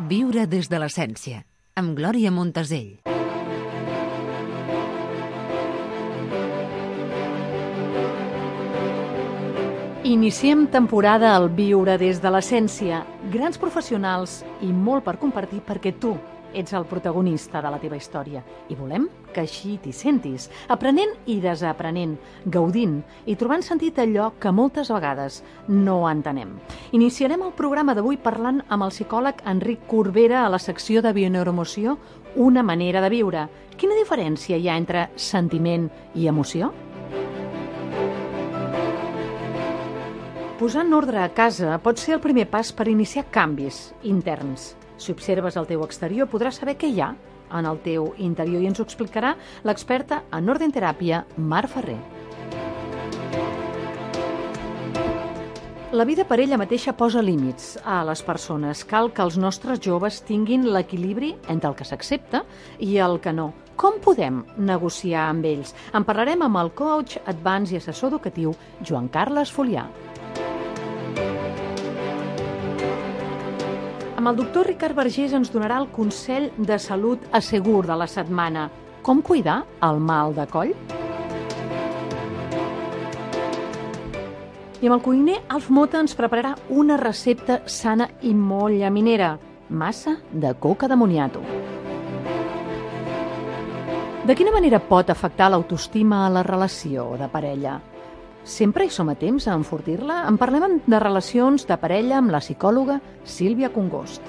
Viure des de l'essència, amb Glòria Montesell. Iniciem temporada al Viure des de l'essència. Grans professionals i molt per compartir perquè tu ets el protagonista de la teva història. I volem que així t'hi sentis, aprenent i desaprenent, gaudint i trobant sentit allò que moltes vegades no entenem. Iniciarem el programa d'avui parlant amb el psicòleg Enric Corbera a la secció de Bioneuroemoció, una manera de viure. Quina diferència hi ha entre sentiment i emoció? Posar en ordre a casa pot ser el primer pas per iniciar canvis interns. Si observes el teu exterior, podràs saber què hi ha en el teu interior i ens ho explicarà l'experta en ordenteràpia, Mar Ferrer. La vida per ella mateixa posa límits a les persones. Cal que els nostres joves tinguin l'equilibri entre el que s'accepta i el que no. Com podem negociar amb ells? En parlarem amb el coach, advance i assessor educatiu Joan Carles Folià. Amb el doctor Ricard Vergés ens donarà el consell de salut assegur de la setmana. Com cuidar el mal de coll? I amb el cuiner Alf Mota ens prepararà una recepta sana i molt llaminera. Massa de coca de moniato. De quina manera pot afectar l'autoestima a la relació de parella? Sempre hi som a temps a enfortir-la? En parlem de relacions de parella amb la psicòloga Sílvia Congost.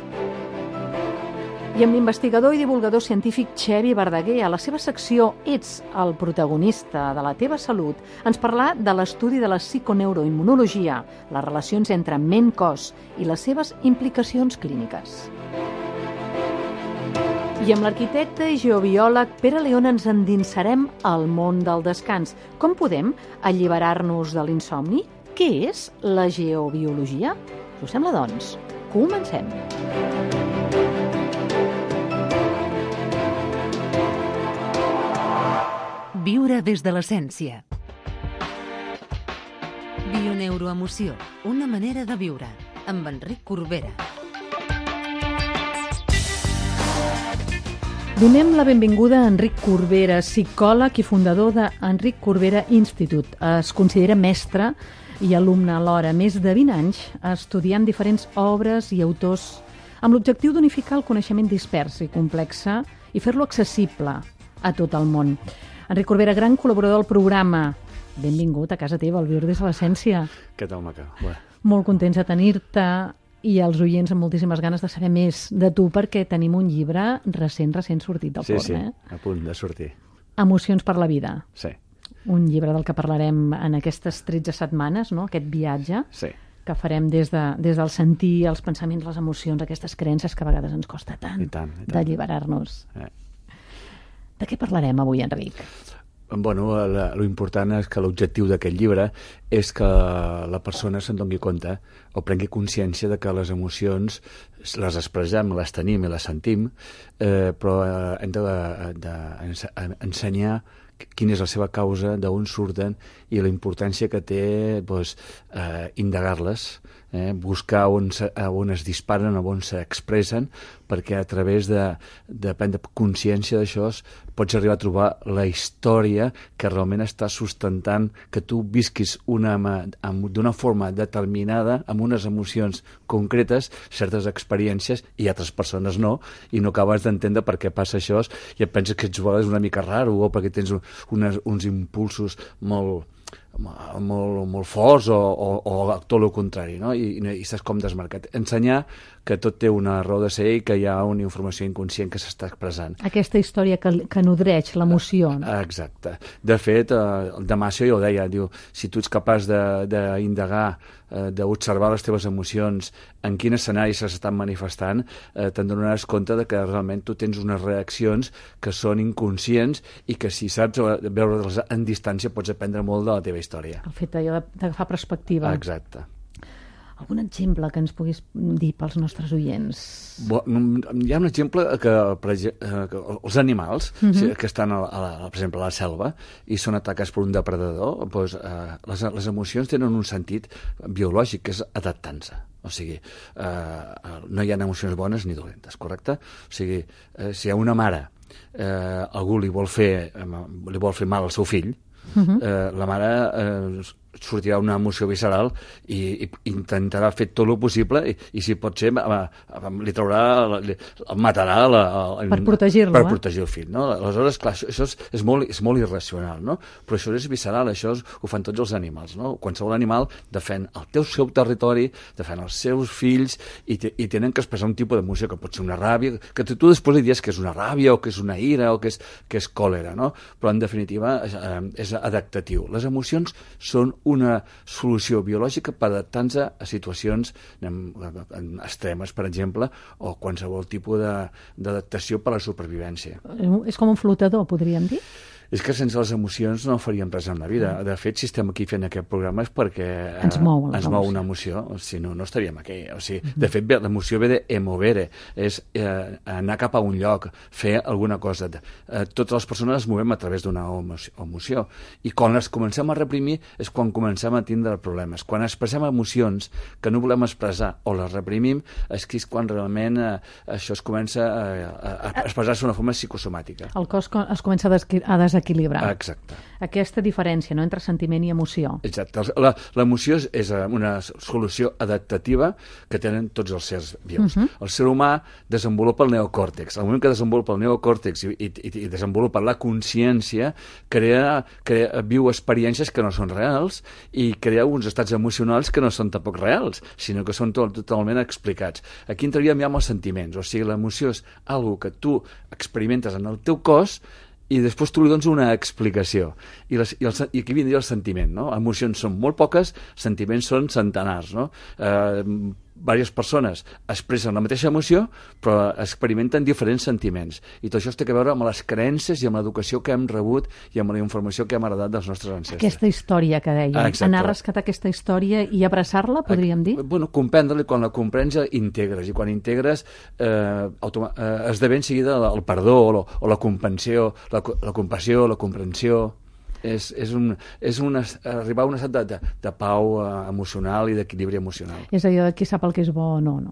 I amb l'investigador i divulgador científic Xevi Verdaguer, a la seva secció Ets el protagonista de la teva salut, ens parlarà de l'estudi de la psiconeuroimmunologia, les relacions entre ment-cos i les seves implicacions clíniques. I amb l'arquitecte i geobiòleg Pere León ens endinsarem al món del descans. Com podem alliberar-nos de l'insomni? Què és la geobiologia? Us sembla, doncs? Comencem! Viure des de l'essència. Bioneuroemoció, una manera de viure, amb Enric Corbera. Donem la benvinguda a Enric Corbera, psicòleg i fundador de Enric Corbera Institute. Es considera mestre i alumne alhora, més de 20 anys estudiant diferents obres i autors amb l'objectiu d'unificar el coneixement dispers i complex i fer-lo accessible a tot el món. Enric Corbera, gran col·laborador del programa. Benvingut a casa teva, al Viure des de l'essència. Què tal, Maca? Bé. Molt contents de tenir-te i els oients amb moltíssimes ganes de saber més de tu perquè tenim un llibre recent sortit del forn. Sí, a punt de sortir. Emocions per la vida. Sí. Un llibre del que parlarem en aquestes 13 setmanes, no? Aquest viatge que farem des del sentir, els pensaments, les emocions, aquestes creences que a vegades ens costa tant, d'alliberar-nos. De què parlarem avui, Enric? Bueno, lo important és que l'objectiu d'aquest llibre és que la persona se'n doni compte o prengui consciència de que les emocions les expressem, les tenim i les sentim, però hem d'ensenyar quina és la seva causa, d'on surten i la importància que té indagar-les, buscar on es disparen, on s'expressen, perquè a través de prendre consciència d'això pots arribar a trobar la història que realment està sustentant que tu visquis d'una forma determinada, amb unes emocions concretes, certes experiències, i altres persones no, i no acabes d'entendre per què passa això, i et penses que ets una mica raro, o perquè tens uns impulsos molt forts o tot el contrari, no? I estàs com desmarcat. Ensenyar que tot té una raó de ser i que hi ha una informació inconscient que s'està expressant. Aquesta història que nodreix l'emoció. Exacte. De fet, el Damasio ja ho deia, diu, si tu ets capaç d'indagar, d'observar les teves emocions, en quin escenari s'estan manifestant, te'n donaràs compte de que realment tu tens unes reaccions que són inconscients i que si saps veure-les en distància pots aprendre molt de la teva història. El fet d'agafar perspectiva. Exacte. Algun exemple que ens puguis dir pels nostres oients? Hi ha un exemple que els animals que estan, per exemple, a la selva i són atacats per un depredador, doncs, les emocions tenen un sentit biològic, que és adaptant-se. O sigui, no hi ha emocions bones ni dolentes, correcte? O sigui, si a una mare algú li vol fer mal al seu fill, la mare sortirà una emoció visceral i intentarà fer tot el possible i si pot ser li traurà, el matarà per protegir-lo, per protegir el fill, no? Aleshores, clar, això és molt irracional, no? Però això és visceral, això ho fan tots els animals, no? Qualsevol animal defèn el seu territori, defèn els seus fills i tenen que expressar un tipus d'emoció que pot ser una ràbia, que tu després li dius que és una ràbia o que és una ira o que és còlera, no? Però en definitiva és adaptatiu. Les emocions són una solució biològica per adaptar-se a situacions extremes, per exemple, o qualsevol tipus d'adaptació per a la supervivència. És com un flotador, podríem dir? És que sense les emocions no faríem res en la vida. De fet, si estem aquí fent aquest programa és perquè ens mou una emoció, si no, no estaríem aquí. O sigui, de fet, l'emoció ve de emovere, és anar cap a un lloc, fer alguna cosa. Totes les persones es movem a través d'una emoció. I quan les comencem a reprimir és quan comencem a tindre problemes. Quan expressem emocions que no volem expressar o les reprimim, és quan realment això es comença a expressar-se d'una forma psicosomàtica. El cos es comença a desequilibrar. Exacte. Aquesta diferència, no?, entre sentiment i emoció. Exacte. L'emoció és una solució adaptativa que tenen tots els sers vius. El ser humà desenvolupa el neocòrtex. Al moment que desenvolupa el neocòrtex i desenvolupa la consciència, viu experiències que no són reals i crea uns estats emocionals que no són tampoc reals, sinó que són totalment explicats. Aquí entraríem ja amb els sentiments. O sigui, l'emoció és algo que tu experimentes en el teu cos i després tu li dones una explicació. I aquí vindria el sentiment, no? Emocions són molt poques, sentiments són centenars, no? Diverses persones expressen la mateixa emoció, però experimenten diferents sentiments. I tot això té a veure amb les creences i amb l'educació que hem rebut i amb la informació que hem heredat dels nostres ancestres. Aquesta història que dèiem. Anar a rescatar aquesta història i abraçar-la, podríem dir? Bueno, comprendre-la, quan la comprens ja integres, i quan integres esdevé en seguida el perdó o la compassió, la comprensió. És arribar a un estat de pau emocional i d'equilibri emocional. És allò de qui sap el que és bo o no, no?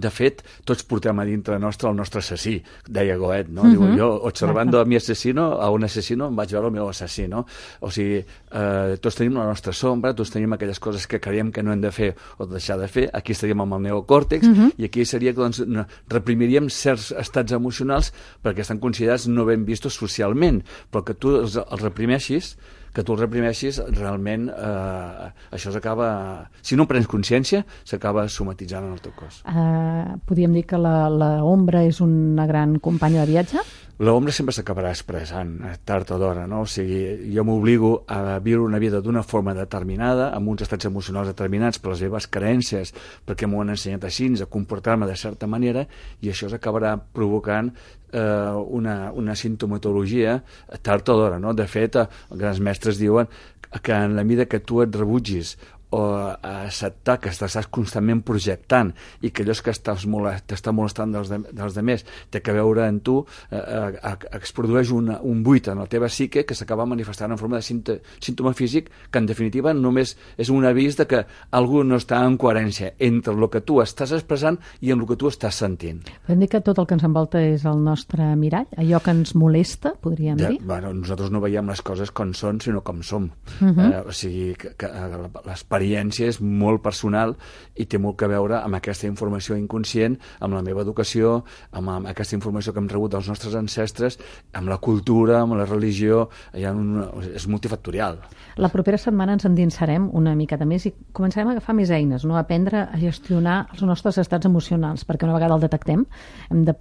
De fet, tots portem a dintre nostre el nostre assassí, deia Goethe, no? Diu, jo, observando a mi asesino, a un assassino, em vaig veure el meu assassí, no? O sigui, tots tenim la nostra sombra, tots tenim aquelles coses que creiem que no hem de fer o deixar de fer, aquí estaríem amb el neocòrtex, i aquí seria que doncs, reprimiríem certs estats emocionals perquè estan considerats no ben vistos socialment, però que tu els reprimeixis, realment això s'acaba... Si no en prens consciència, s'acaba somatitzant en el teu cos. Podríem dir que l'ombra és una gran companya de viatge? L'ombra sempre s'acabarà expressant, tard o d'hora, no? O sigui, jo m'obligo a viure una vida d'una forma determinada, amb uns estats emocionals determinats per les meves creences, perquè m'ho han ensenyat així, a comportar-me de certa manera, i això s'acabarà provocant una sintomatologia tard o d'hora, no? De fet, els grans mestres diuen que en la mida que tu et rebutgis o acceptar que estàs constantment projectant i que allò que t'està molestant dels altres té que veure en tu, es produeix un buit en la teva psique que s'acaba manifestant en forma de símptoma físic que en definitiva només és un avís de que algú no està en coherència entre el que tu estàs expressant i el que tu estàs sentint. Podem dir que tot el que ens envolta és el nostre mirall, allò que ens molesta, podríem dir? Bueno, nosaltres no veiem les coses com són, sinó com som. O sigui, que l'experiència és molt personal i té molt que veure amb aquesta informació inconscient, amb la meva educació, amb aquesta informació que hem rebut dels nostres ancestres, amb la cultura, amb la religió, és multifactorial. La propera setmana ens endinsarem una miqueta més i començarem a agafar més eines, no? A aprendre a gestionar els nostres estats emocionals, perquè una vegada el detectem ens hem de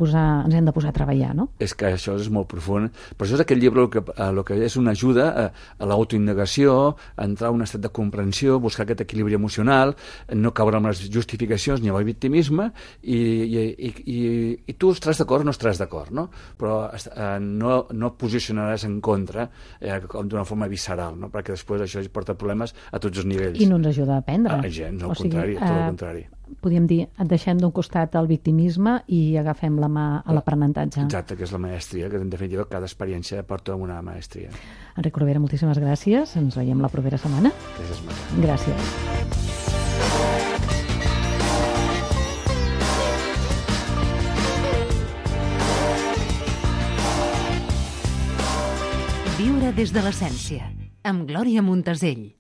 posar a treballar, no? És que això és molt profund. Per això és aquest llibre el que és una ajuda a l'autoindagació, a entrar a un estat de comprensió, buscar aquest equilibri emocional, no caure amb les justificacions ni amb el victimisme, i tu estaràs d'acord o no estaràs d'acord, no? Però no posicionaràs en contra d'una forma visceral, no? Perquè després això porta problemes a tots els nivells. I no ens ajuda a aprendre. Gens, al contrari, tot el contrari. Podríem dir, deixem d'un costat el victimisme i agafem la mà a l'aprenentatge. Exacte, que és la maestria, que en definitiva cada experiència porta una maestria. Enric Corbera, moltíssimes gràcies. Ens veiem la propera setmana. Gràcies, Maria. Gràcies. Viure des de l'essència, amb Glòria Montesell.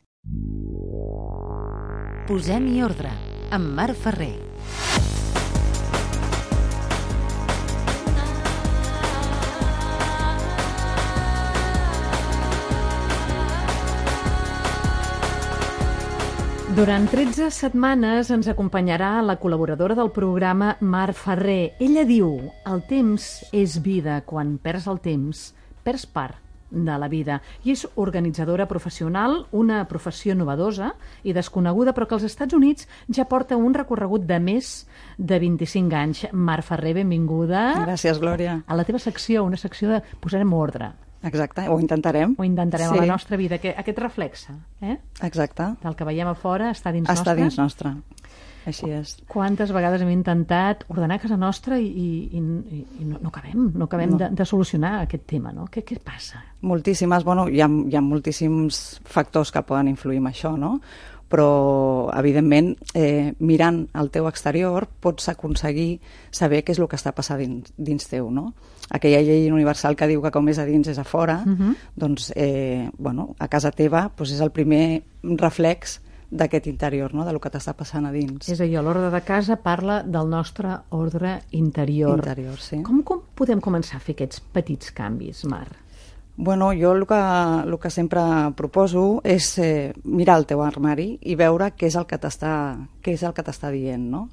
Posem-hi ordre, amb Marc Ferrer. Durant 13 setmanes ens acompanyarà la col·laboradora del programa, Marc Ferrer. Ella diu, el temps és vida. Quan perds el temps, perds part de la vida. I és organitzadora professional, una professió novedosa i desconeguda, però que als Estats Units ja porta un recorregut de més de 25 anys. Marc Ferrer, benvinguda. Gràcies, Glòria. A la teva secció, una secció de posarem ordre. Exacte, ho intentarem. Ho intentarem a la nostra vida, que aquest reflexa, Exacte. del que veiem a fora està dins nostre. Està dins nostre. Així és. Quantes vegades hem intentat ordenar casa nostra i no acabem de solucionar aquest tema, no? Què passa? Moltíssimes, hi ha moltíssims factors que poden influir en això, no? Però, evidentment, mirant al teu exterior pots aconseguir saber què és el que està passant dins teu, no? Aquella llei universal que diu que com és a dins és a fora, doncs, a casa teva és el primer reflex d'aquest interior, no? Del que t'està passant a dins. És a dir, l'ordre de casa parla del nostre ordre interior. Interior, sí. Com podem començar a fer aquests petits canvis, Mar? Jo el que sempre proposo és mirar el teu armari i veure què és el que t'està dient, no?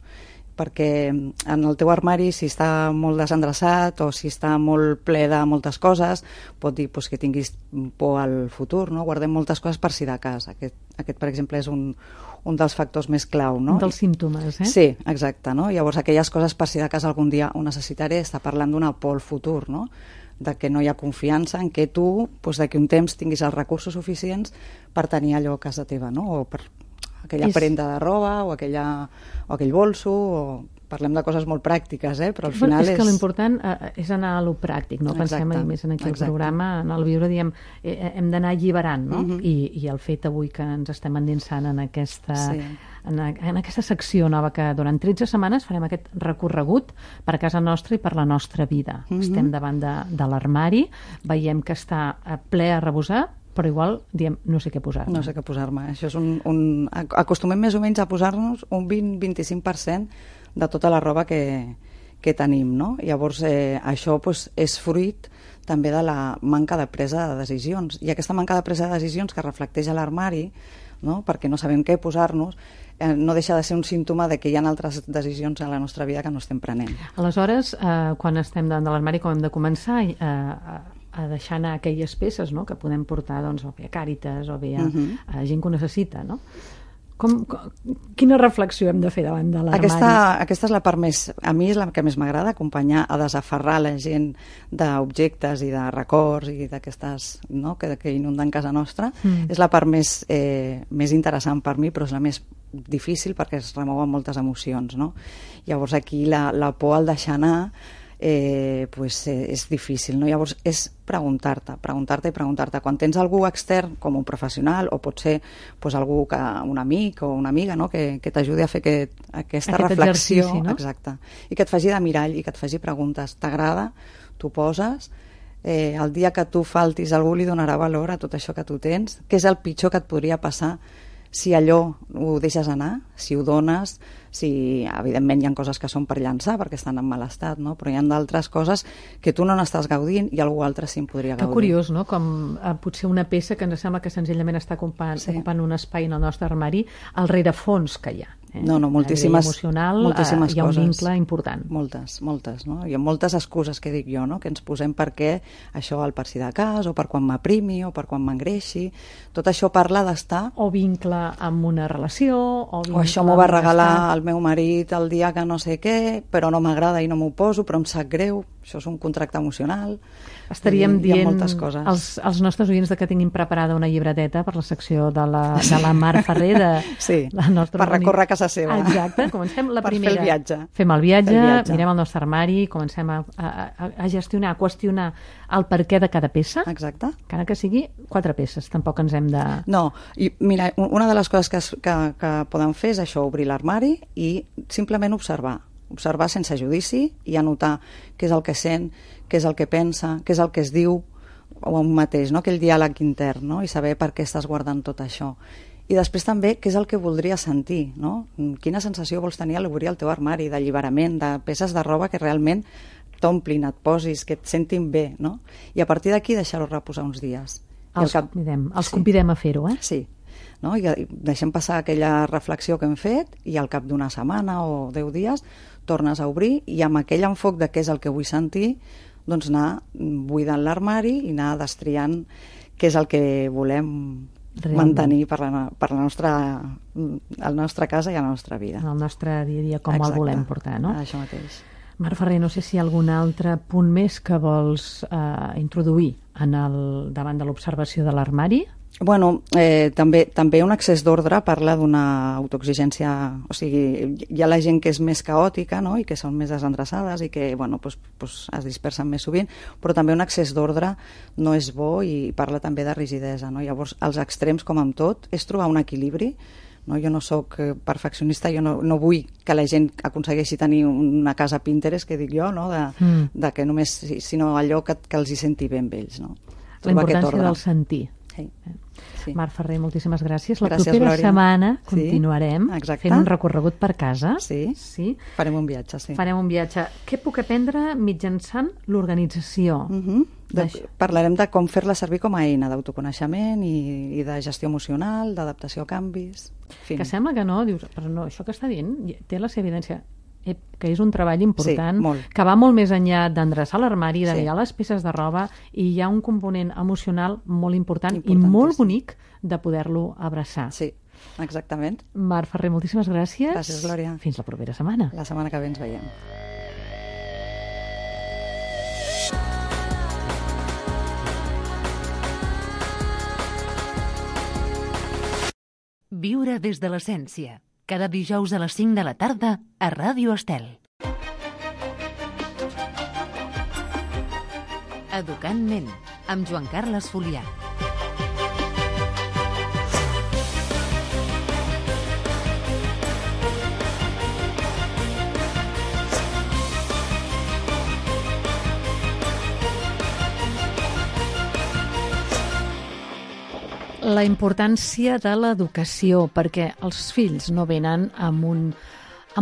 Perquè en el teu armari, si està molt desendreçat o si està molt ple de moltes coses, pot dir que tinguis por al futur, no? Guardem moltes coses per si de cas. Aquest, per exemple, és un dels factors més clau, no? Un dels símptomes, Sí, exacte, no? Llavors, aquelles coses per si de cas algun dia ho necessitaré, està parlant d'una por al futur, no? De que no hi ha confiança en que tu, d'aquí un temps, tinguis els recursos suficients per tenir allò a casa teva, no? O per aquella prenda de roba o aquell bolso, o parlem de coses molt pràctiques, però al final és que l'important és anar a lo pràctic, no? Exacte. Pensem a més en aquí el programa, en el Viure, diem, hem d'anar alliberant, no? I el fet avui que ens estem endinsant en aquesta secció nova, que durant 13 setmanes farem aquest recorregut per casa nostra i per la nostra vida. Estem davant de l'armari, veiem que està ple a rebosar, però igual diem, no sé què posar-me. No sé què posar-me. Això és acostumem més o menys a posar-nos un 20-25% de tota la roba que tenim, no? Llavors, això és fruit també de la manca de presa de decisions. I aquesta manca de presa de decisions que reflecteix a l'armari, no? Perquè no sabem què posar-nos, no deixa de ser un símptoma de que hi ha altres decisions a la nostra vida que no estem prenent. Aleshores, quan estem davant de l'armari, com hem de començar a deixar anar aquelles peces, no?, que podem portar, doncs, o bé a Càritas o bé a gent que ho necessita, no? Quina reflexió hem de fer davant de l'armari? Aquesta és la part més... A mi és la que més m'agrada, acompanyar a desaferrar la gent d'objectes i de records i d'aquestes, no?, que inunden casa nostra. És la part més interessant per mi, però és la més difícil perquè es remouen moltes emocions, no? Llavors aquí la por al deixar anar és difícil, no? Llavors és preguntar-te. Quan tens algú extern, com un professional, o pot ser algú, un amic o una amiga, no?, que t'ajudi a fer aquesta reflexió, no? Exacte, i que et faci de mirall i que et faci preguntes. T'agrada? T'ho poses? El dia que tu faltis, algú li donarà valor a tot això que tu tens? Què és el pitjor que et podria passar si allò ho deixes anar, si ho dones, si evidentment hi ha coses que són per llançar perquè estan en mal estat, no? Però hi ha d'altres coses que tu no n'estàs gaudint i algú altre sí en podria gaudir. Que curiós, no? Com potser una peça que ens sembla que senzillament està ocupant un espai en el nostre armari, el rerefons que hi ha. No, moltíssimes, moltíssimes hi ha un coses. vincle important. Moltes, no? Hi ha moltes excuses que dic jo, no? Que ens posem perquè això al per si de cas, o per quan m'aprimi, o per quan m'engreixi. Tot això parla d'estar... O vincle amb una relació, o això m'ho va regalar el meu marit el dia que no sé què, però no m'agrada i no m'ho poso, però em sap greu. Això és un contracte emocional. Estaríem dient moltes coses. als nostres oients que tinguin preparada una llibreteta per la secció de la Mar Ferrer, sí, la nostra per recórrer a casa seva. Exacte, comencem la primera. Per fer el viatge. Fem el viatge, mirem el nostre armari, comencem a gestionar, a qüestionar el perquè de cada peça. Exacte. Encara que sigui 4 peces, tampoc ens hem de... No, i mira, una de les coses que podem fer és això, obrir l'armari i simplement observar sense judici i anotar què és el que sent, què és el que pensa, què és el que es diu o un mateix, no? Aquell diàleg intern, no? I saber per què estàs guardant tot això. I després també què és el que voldries sentir, no? Quina sensació vols tenir a l'obrir el teu armari, d'alliberament, de peces de roba que realment t'omplin, et posis, que et sentin bé, no? I a partir d'aquí deixar-ho reposar uns dies. Els convidem a fer-ho, eh? Sí. No? I deixem passar aquella reflexió que hem fet i al cap d'una setmana o 10 dies tornes a obrir i amb aquell enfoc de què és el que vull sentir, doncs anar buidant l'armari i anar destriant què és el que volem mantenir per la nostra casa i la nostra vida. En el nostre dia a dia, com el volem portar, no? Això mateix. Mar Ferrer, no sé si hi ha algun altre punt més que vols introduir davant de l'observació de l'armari. Bueno, també un excés d'ordre parla d'una autoexigència, o sigui, hi ha la gent que és més caòtica, no?, i que són més desendreçades i que, bueno, pues es dispersen més sovint, però també un excés d'ordre no és bo i parla també de rigidesa, no? Llavors, els extrems, com amb tot, és trobar un equilibri, no? Jo no sóc perfeccionista, jo no vull que la gent aconsegueixi tenir una casa Pinterest, que dic jo, no?, de que només, sinó allò que els hi senti bé amb ells, no? La importància del sentir. Sí. Mar Ferrer, moltíssimes gràcies. La Gràcies, propera Glòria. Setmana continuarem fent un recorregut per casa. Sí. Farem un viatge, sí. Farem un viatge. Què puc aprendre mitjançant l'organització? Parlarem de com fer-la servir com a eina d'autoconeixement i de gestió emocional, d'adaptació a canvis. Que sembla que no, dius, però no, això que està dient té la seva evidència. Que és un treball important, que va molt més enllà d'endreçar l'armari, de mirar les peces de roba, i hi ha un component emocional molt important i molt bonic de poder-lo abraçar. Sí, exactament. Mar Ferrer, moltíssimes gràcies. Gràcies, Glòria. Fins la propera setmana. La setmana que ve ens veiem. Viure des de l'essència. Cada dijous a les 5 de la tarda a Ràdio Estel. Educant ment, amb Joan Carles Folià. La importància de l'educació, perquè els fills no venen amb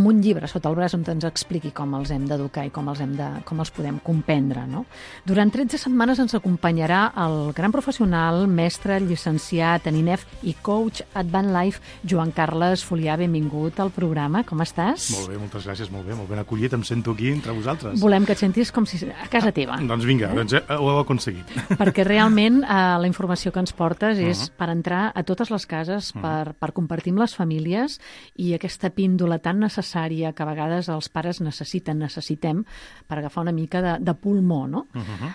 un llibre sota el braç on ens expliqui com els hem d'educar i com els podem comprendre, no? Durant 13 setmanes ens acompanyarà el gran professional, mestre, llicenciat en INEF i coach Advanced Life, Joan Carles Folià. Benvingut al programa, com estàs? Molt bé, moltes gràcies, molt ben acollit, em sento aquí entre vosaltres. Volem que et sentis com si a casa teva. Doncs vinga, ho heu aconseguit. Perquè realment la informació que ens portes és per entrar a totes les cases, per compartir amb les famílies, i aquesta píndola tan necessària que a vegades els pares necessitem per agafar una mica de pulmó, no?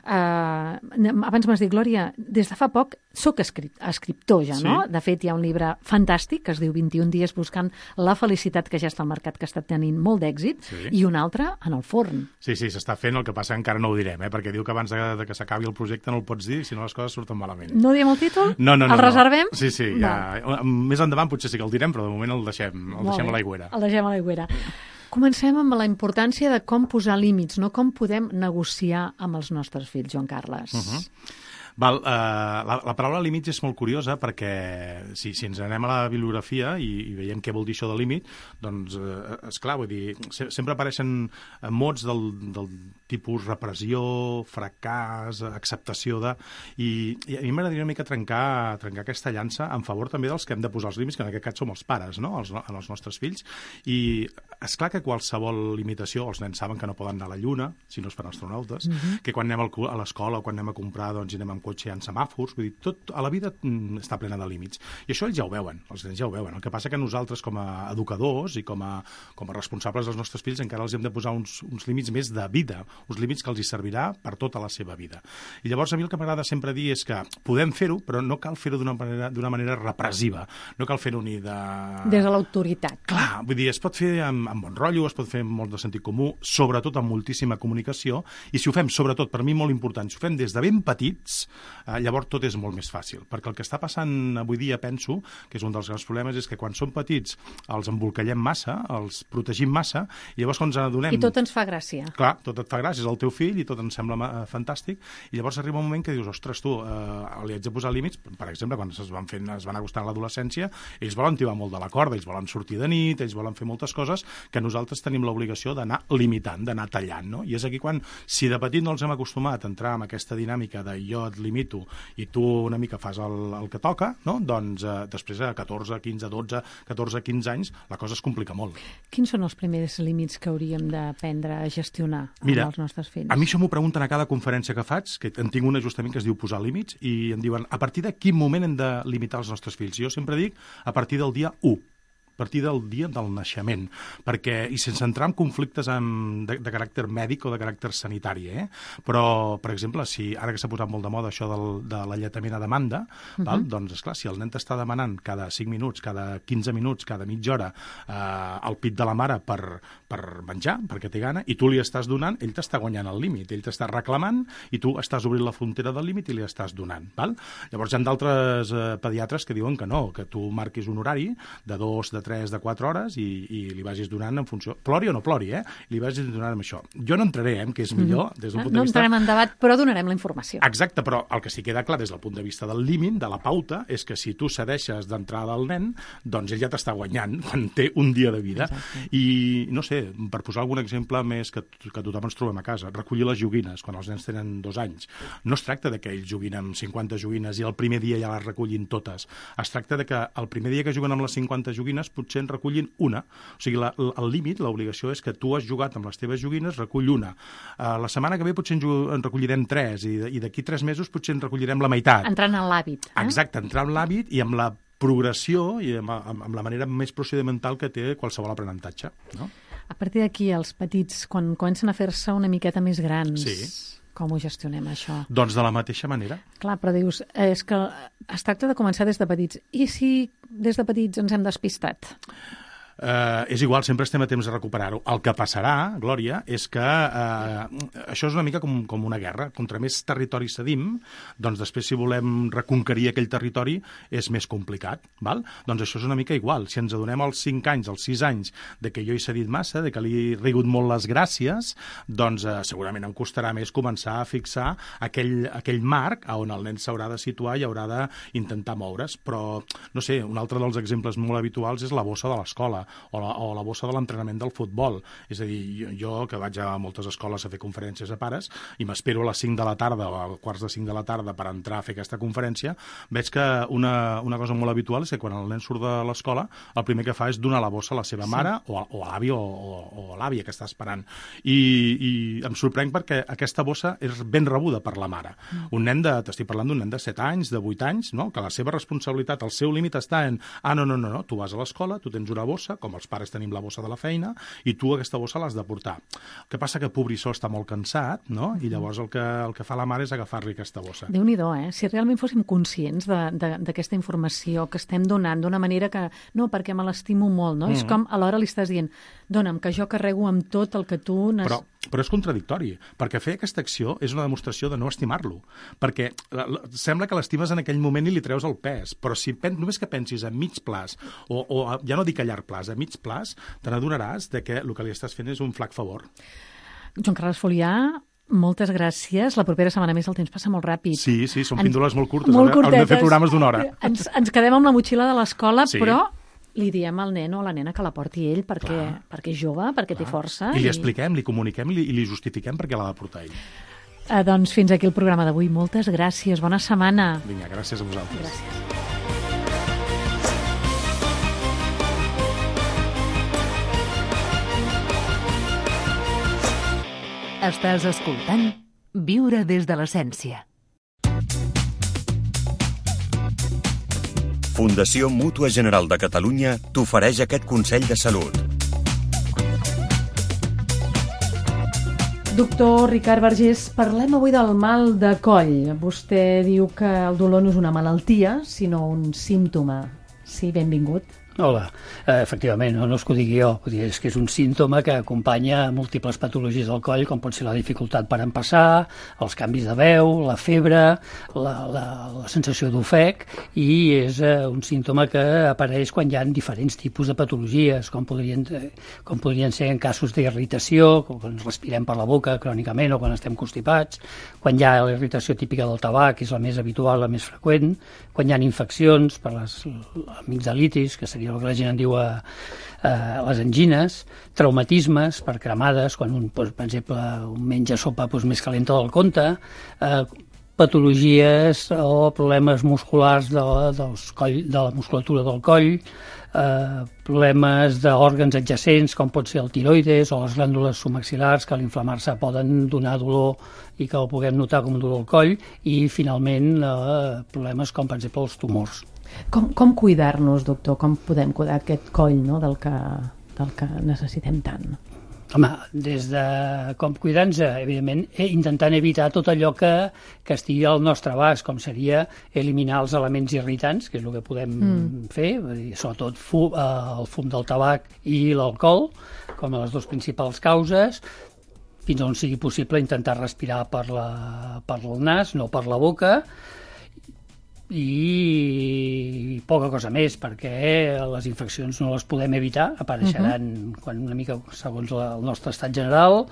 Abans m'has dit, Glòria, des de fa poc soc escriptor ja, no? De fet, hi ha un llibre fantàstic que es diu 21 dies buscant la felicitat, que ja està al mercat, que està tenint molt d'èxit, i un altre en el forn. Sí, s'està fent, el que passa encara no ho direm, perquè diu que abans de que s'acabi el projecte no el pots dir, si no les coses surten malament. No diem el títol? No. El reservem? Sí, ja. Més endavant potser sí que el direm, però de moment el deixem a l'aigüera. El deixem a l'aigüera. Comencem amb la importància de com posar límits, no? Com podem negociar amb els nostres fills, Joan Carles. La paraula límits és molt curiosa perquè si ens anem a la bibliografia i veiem què vol dir això de límit, doncs, esclar, vull dir, sempre apareixen mots del tipus repressió, fracàs, acceptació de... I a mi m'agradaria una mica trencar aquesta llança en favor també dels que hem de posar els límits, que en aquest cas som els pares, no?, els nostres fills. I esclar que qualsevol limitació, els nens saben que no poden anar a la Lluna, si no es fan astronautes, que quan anem a l'escola o quan anem a comprar, doncs anem amb cotxe en semàfors, vull dir, tot a la vida està plena de límits. I això ells ja ho veuen, els nens ja ho veuen. El que passa que nosaltres, com a educadors i com a responsables dels nostres fills, encara els hem de posar uns límits més de vida, uns límits que els hi servirà per tota la seva vida. I llavors a mi el que m'agrada sempre dir és que podem fer-ho, però no cal fer-ho d'una manera repressiva. No cal fer-ho ni de... Des de l'autoritat. Clar, vull dir, es pot fer amb bon rotllo, es pot fer amb molt de sentit comú, sobretot amb moltíssima comunicació, i si ho fem, sobretot, per mi molt important, si ho fem des de ben petits, llavors tot és molt més fàcil. Perquè el que està passant avui dia, penso, que és un dels grans problemes, és que quan som petits els embolcallem massa, els protegim massa, i llavors quan ens adonem... I tot ens fa gràcia. Clar, tot et fa gràcia, és el teu fill i tot ens sembla fantàstic, i llavors arriba un moment que dius, ostres, tu, li haig de posar límits, per exemple, quan es van acostant a l'adolescència, ells volen tibar molt de la corda, ells volen sortir de nit, ells volen fer moltes coses que nosaltres tenim l'obligació d'anar limitant, d'anar tallant, no? I és aquí quan, si de petit no els hem acostumat a entrar en aquesta dinàmica de jo et limito i tu una mica fas el que toca, no? Doncs després a 14, 15, 12, 14, 15 anys la cosa es complica molt. Quins són els primers límits que hauríem d'aprendre a gestionar amb els nostres fills? A mi això m'ho pregunten a cada conferència que faig, que en tinc una justament que es diu posar límits, i em diuen a partir de quin moment hem de limitar els nostres fills. Jo sempre dic a partir del dia 1. A partir del dia del naixement, perquè, i sense entrar en conflictes de caràcter mèdic o de caràcter sanitari, però, per exemple, si ara que s'ha posat molt de moda això de l'alletament a demanda, val? Doncs, esclar, si el nen t'està demanant cada 5 minuts, cada 15 minuts, cada mitja hora el pit de la mare per menjar, perquè té gana, i tu li estàs donant, ell t'està guanyant el límit, ell t'està reclamant i tu estàs obrint la frontera del límit i li estàs donant, val? Llavors hi ha d'altres pediatres que diuen que no, que tu marquis un horari de 2, de 3, de 4 hores i li vagis donant en funció... Plori o no plori, li vagis donant amb això. Jo no entraré, que és millor, des del punt de vista... No entrarem en debat, però donarem la informació. Exacte, però el que sí queda clar des del punt de vista del límit, de la pauta, és que si tu cedeixes d'entrada al nen, doncs ell ja t'està guanyant quan té un dia de vida. Exacte. I, no sé, per posar algun exemple més que tothom ens trobem a casa, recollir les joguines quan els nens tenen 2 anys. No es tracta de que ells juguin amb 50 joguines i el primer dia ja les recollin totes. Es tracta de que el primer dia que juguen amb les 50 joguines potser en recullin una. O sigui, el límit, l'obligació és que tu has jugat amb les teves joguines, recull una. La setmana que ve potser en recollirem 3 i d'aquí 3 mesos potser en recollirem la meitat. Entrant en l'hàbit. Exacte, entrar en l'hàbit i amb la progressió i amb la manera més procedimental que té qualsevol aprenentatge. No? A partir d'aquí, els petits, quan comencen a fer-se una miqueta més grans... Sí. Com ho gestionem, això? Doncs de la mateixa manera. Clar, però dius, és que es tracta de començar des de petits. I si des de petits ens hem despistat? És igual, sempre estem a temps de recuperar-ho. El que passarà, Glòria, és que això és una mica com una guerra. Contra més territori cedim, doncs després si volem reconquerir aquell territori és més complicat. Val? Doncs això és una mica igual. Si ens adonem als 5 anys, als 6 anys, de que jo he cedit massa, de que li he rigut molt les gràcies, doncs segurament em costarà més començar a fixar aquell marc on el nen s'haurà de situar i haurà d'intentar moure's. Però, no sé, un altre dels exemples molt habituals és la bossa de l'escola o la bossa de l'entrenament del futbol. És a dir, jo que vaig a moltes escoles a fer conferències a pares i m'espero a les 5 de la tarda o a quarts de 5 de la tarda per entrar a fer aquesta conferència, veig que una cosa molt habitual és que quan el nen surt de l'escola el primer que fa és donar la bossa a la seva mare o a l'avi o a l'àvia que està esperant. I em sorprèn perquè aquesta bossa és ben rebuda per la mare. T'estic parlant d'un nen de 7 anys, de 8 anys, no? Que la seva responsabilitat, el seu límit està en no, tu vas a l'escola, tu tens una bossa, com els pares tenim la bossa de la feina, i tu aquesta bossa l'has de portar. El que passa que pobrissó està molt cansat, no? I llavors el que fa la mare és agafar-li aquesta bossa. Déu-n'hi-do, Si realment fóssim conscients d'aquesta informació que estem donant d'una manera que, no, perquè me l'estimo molt, no? És com alhora li estàs dient, dona'm, que jo carrego amb tot el que tu... Però és contradictori, perquè fer aquesta acció és una demostració de no estimar-lo, perquè sembla que l'estimes en aquell moment i li treus el pes, però si només que pensis a mig plaç, o ja no dic a llarg plaç, a mig plaç, te n'adonaràs que el que li estàs fent és un flac favor. Joan Carles Folià, Moltes gràcies. La propera setmana més el temps passa molt ràpid. Sí, són píndoles molt curtes. Molt Haurem de fer curtetes. programes d'una hora. Ens quedem amb la motxilla de l'escola, Sí. però li diem al nen o a la nena que la porti ell perquè és jove, perquè té força. I li expliquem, li comuniquem i li justifiquem perquè l'ha de portar ell. Doncs fins aquí el programa d'avui. Moltes gràcies. Bona setmana. Vinga, gràcies a vosaltres. Gràcies. Estàs escoltant Viure des de l'essència. Fundació Mútua General de Catalunya t'ofereix aquest consell de salut. Doctor Ricard Vergés, parlem avui del mal de coll. Vostè diu que el dolor no és una malaltia, sinó un símptoma. Sí, benvingut. Hola, efectivament, no és que ho digui jo, és que és un símptoma que acompanya múltiples patologies del coll, com pot ser la dificultat per empassar, els canvis de veu, la febre, la sensació d'ofec, i és un símptoma que apareix quan hi ha diferents tipus de patologies, com podrien ser en casos d'irritació, quan ens respirem per la boca crònicament o quan estem constipats, quan hi ha la irritació típica del tabac, que és la més habitual, la més freqüent, quan hi ha infeccions per les amigdalitis, que seria el que la gent en diu les angines, traumatismes per cremades, quan un, per exemple, menja sopa més calenta del compte, patologies o problemes musculars de la musculatura del coll, problemes d'òrgans adjacents com pot ser el tiroides o les glàndules submaxil·lars que a l'inflamar-se poden donar dolor i que ho puguem notar com un dolor al coll, i finalment problemes com per exemple els tumors. Com cuidar-nos, doctor? Com podem cuidar aquest coll, no, del que necessitem tant? Home, des de com cuidar-nos, evidentment, intentant evitar tot allò que estigui al nostre abast, com seria eliminar els elements irritants, que és el que podem fer, sobretot el fum del tabac i l'alcohol, com a les dues principals causes, fins on sigui possible intentar respirar per el nas, no per la boca, i poca cosa més, perquè les infeccions no les podem evitar, apareixeran quan una mica segons el nostre estat general.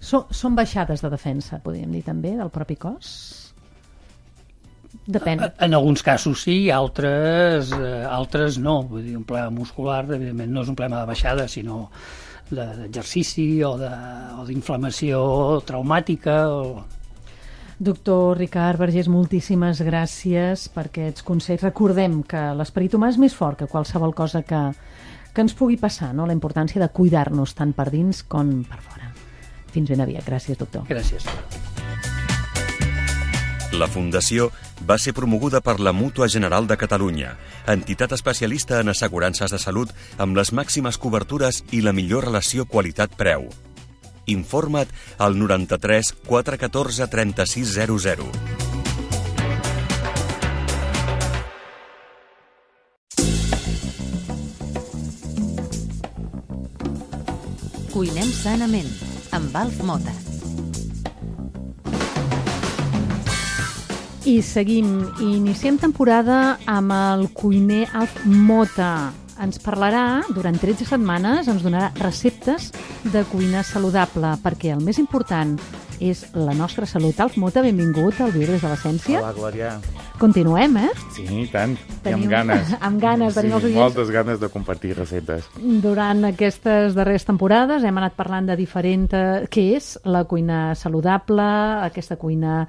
Són baixades de defensa, podríem dir també, del propi cos? Depèn. En alguns casos sí, altres no. Vull dir, un problema muscular, evidentment, no és un problema de baixada, sinó d'exercici o d'inflamació traumàtica o... Doctor Ricard Vergés, moltíssimes gràcies per aquests consells. Recordem que l'esperit humà és més fort que qualsevol cosa que ens pugui passar, no? La importància de cuidar-nos tant per dins com per fora. Fins ben aviat. Gràcies, doctor. Gràcies. La Fundació va ser promoguda per la Mútua General de Catalunya, entitat especialista en assegurances de salut amb les màximes cobertures i la millor relació qualitat-preu. Informa't al 93 414 3600. Cuinem sanament, amb Alf Mota. I seguim. Iniciem temporada amb el cuiner Alf Mota. Ens parlarà, durant 13 setmanes, ens donarà receptes de cuina saludable, perquè el més important és la nostra salut. Alf Mota, benvingut al Viure des de l'essència. Hola, Glòria. Continuem, eh? Sí, i tant. I amb ganes. Amb ganes, tenim els oients. Moltes ganes de compartir receptes. Durant aquestes darreres temporades hem anat parlant de diferents... Què és la cuina saludable, aquesta cuina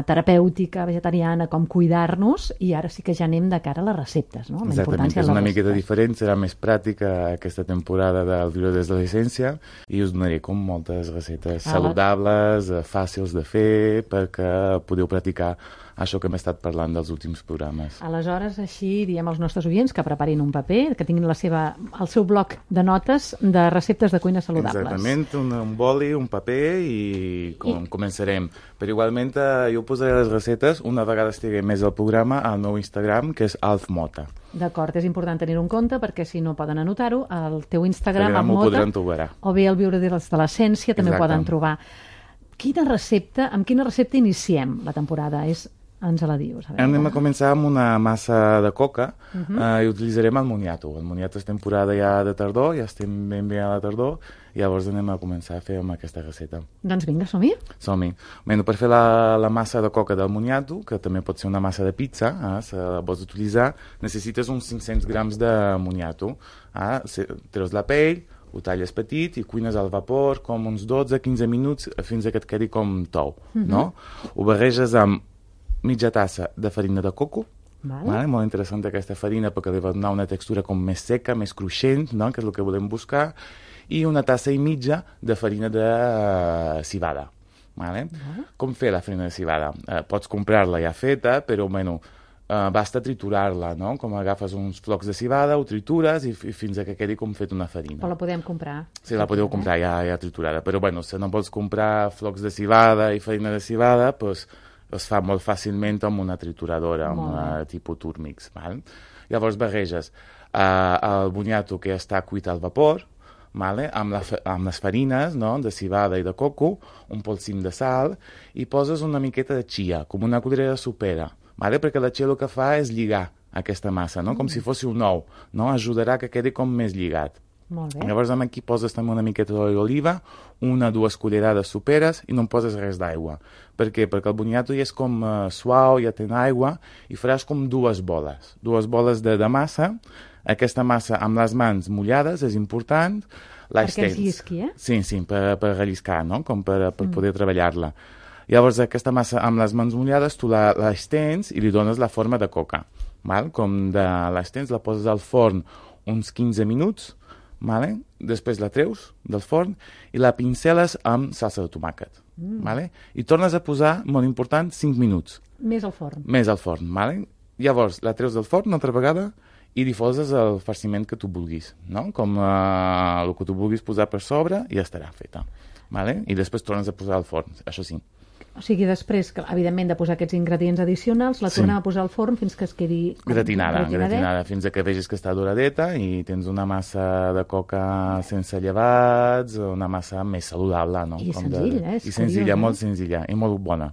terapèutica, vegetariana, com cuidar-nos, i ara sí que ja anem de cara a les receptes, no? Exactament, és una miqueta diferent, serà més pràctica aquesta temporada del Viure des de l'essència, i us donaré com moltes receptes saludables, fàcils de fer, perquè podeu practicar això que hem estat parlant dels últims programes. Aleshores, així diem als nostres oients que preparin un paper, que tinguin el seu bloc de notes de receptes de cuina saludables. Exactament, un boli, un paper i començarem. Però igualment jo posaré les receptes una vegada estigui més al programa al meu Instagram, que és alfmota. D'acord, és important tenir-ho en compte perquè si no poden anotar-ho, al teu Instagram, M'ho Mota, podran trobar. O bé al Viure des de l'essència també ho poden trobar. Amb quina recepta iniciem la temporada? És ens la dius? Anem a començar amb una massa de coca i utilitzarem el moniato. El moniato és temporada ja de tardor, ja estem ben bé a la tardor, i llavors anem a començar a fer amb aquesta recepta. Doncs vinga, som-hi. Som-hi. Bueno, per fer la massa de coca del moniato, que també pot ser una massa de pizza, si la vols utilitzar, necessites uns 500 grams de moniato. Treus la pell, ho talles petit i cuines al vapor com uns 12-15 minuts fins que et quedi com tou, no? Ho barreges amb mitja tassa de farina de coco, vale? Molt interessant aquesta farina perquè li va donar una textura com més seca, més cruixent, no? Que és el que volem buscar, i una tassa i mitja de farina de civada. Vale? Com fer la farina de civada? Pots comprar-la ja feta, però bueno, basta triturar-la, no? Com agafes uns flocs de civada, ho tritures i fins que quedi com fet una farina. Però la podem comprar. Sí, la podeu comprar ja triturada, però bueno, si no vols comprar flocs de civada i farina de civada, doncs es fa molt fàcilment amb una trituradora, amb una tipus Turmix. Val? Llavors barreges el boniato que està cuit al vapor, vale? Amb les farines, no? De civada i de coco, un polsim de sal, i poses una miqueta de chia, com una cullerada sopera, vale? Perquè la chia el que fa és lligar aquesta massa, no? Com si fos un ou, no? Ajudarà que quedi com més lligat. Molt bé. Llavors aquí poses també una miqueta d'oli d'oliva, 1-2 cullerades soperes, i no poses res d'aigua. Per què? Perquè el boniato ja és com suau, ja té aigua, i faràs com dues boles de massa. Aquesta massa amb les mans mullades és important. Perquè es llisqui, Sí, per relliscar, no? Com per poder treballar-la. Llavors aquesta massa amb les mans mullades tu l'estens i li dones la forma de coca. Val? Com l'estens, la poses al forn uns 15 minuts, vale? Després la treus del forn i la pinceles amb salsa de tomàquet. Vale? I tornes a posar, molt important, 5 minuts. Més al forn. Vale? Llavors la treus del forn una altra vegada i li poses el farciment que tu vulguis, no? Com el que tu vulguis posar per sobre i ja estarà feta. Vale? I després tornes a posar al forn, això sí. O sigui, després, evidentment, de posar aquests ingredients addicionals, la tornem a posar al forn fins que es quedi gratinada, fins que vegis que està doradeta i tens una massa de coca sense llevats, una massa més saludable, no? I senzilla, I senzilla, molt senzilla i molt bona.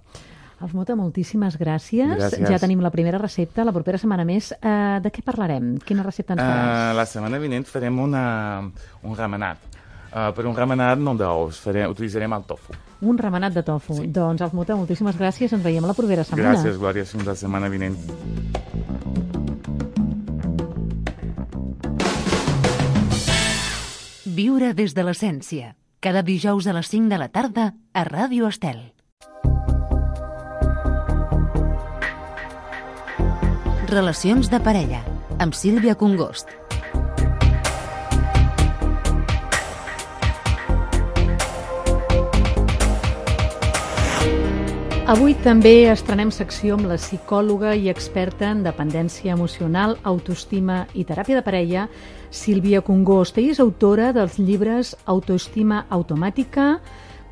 Alf-Mota, moltíssimes gràcies. Ja tenim la primera recepta, la propera setmana més. De què parlarem? Quina recepta ens faràs? La setmana vinent farem un remenat. Per un remenat no d'ous, utilitzarem el tofu. Un remenat de tofu. Sí. Doncs, Alf-Mota, moltíssimes gràcies. Ens veiem la propera setmana. Gràcies, Glòria. Fins la setmana vinent. Viure des de l'essència. Cada dijous a les 5 de la tarda a Ràdio Estel. Relacions de parella, amb Sílvia Congost. Avui també estrenem secció amb la psicòloga i experta en dependència emocional, autoestima i teràpia de parella, Sílvia Congost. Ella és autora dels llibres Autoestima automàtica,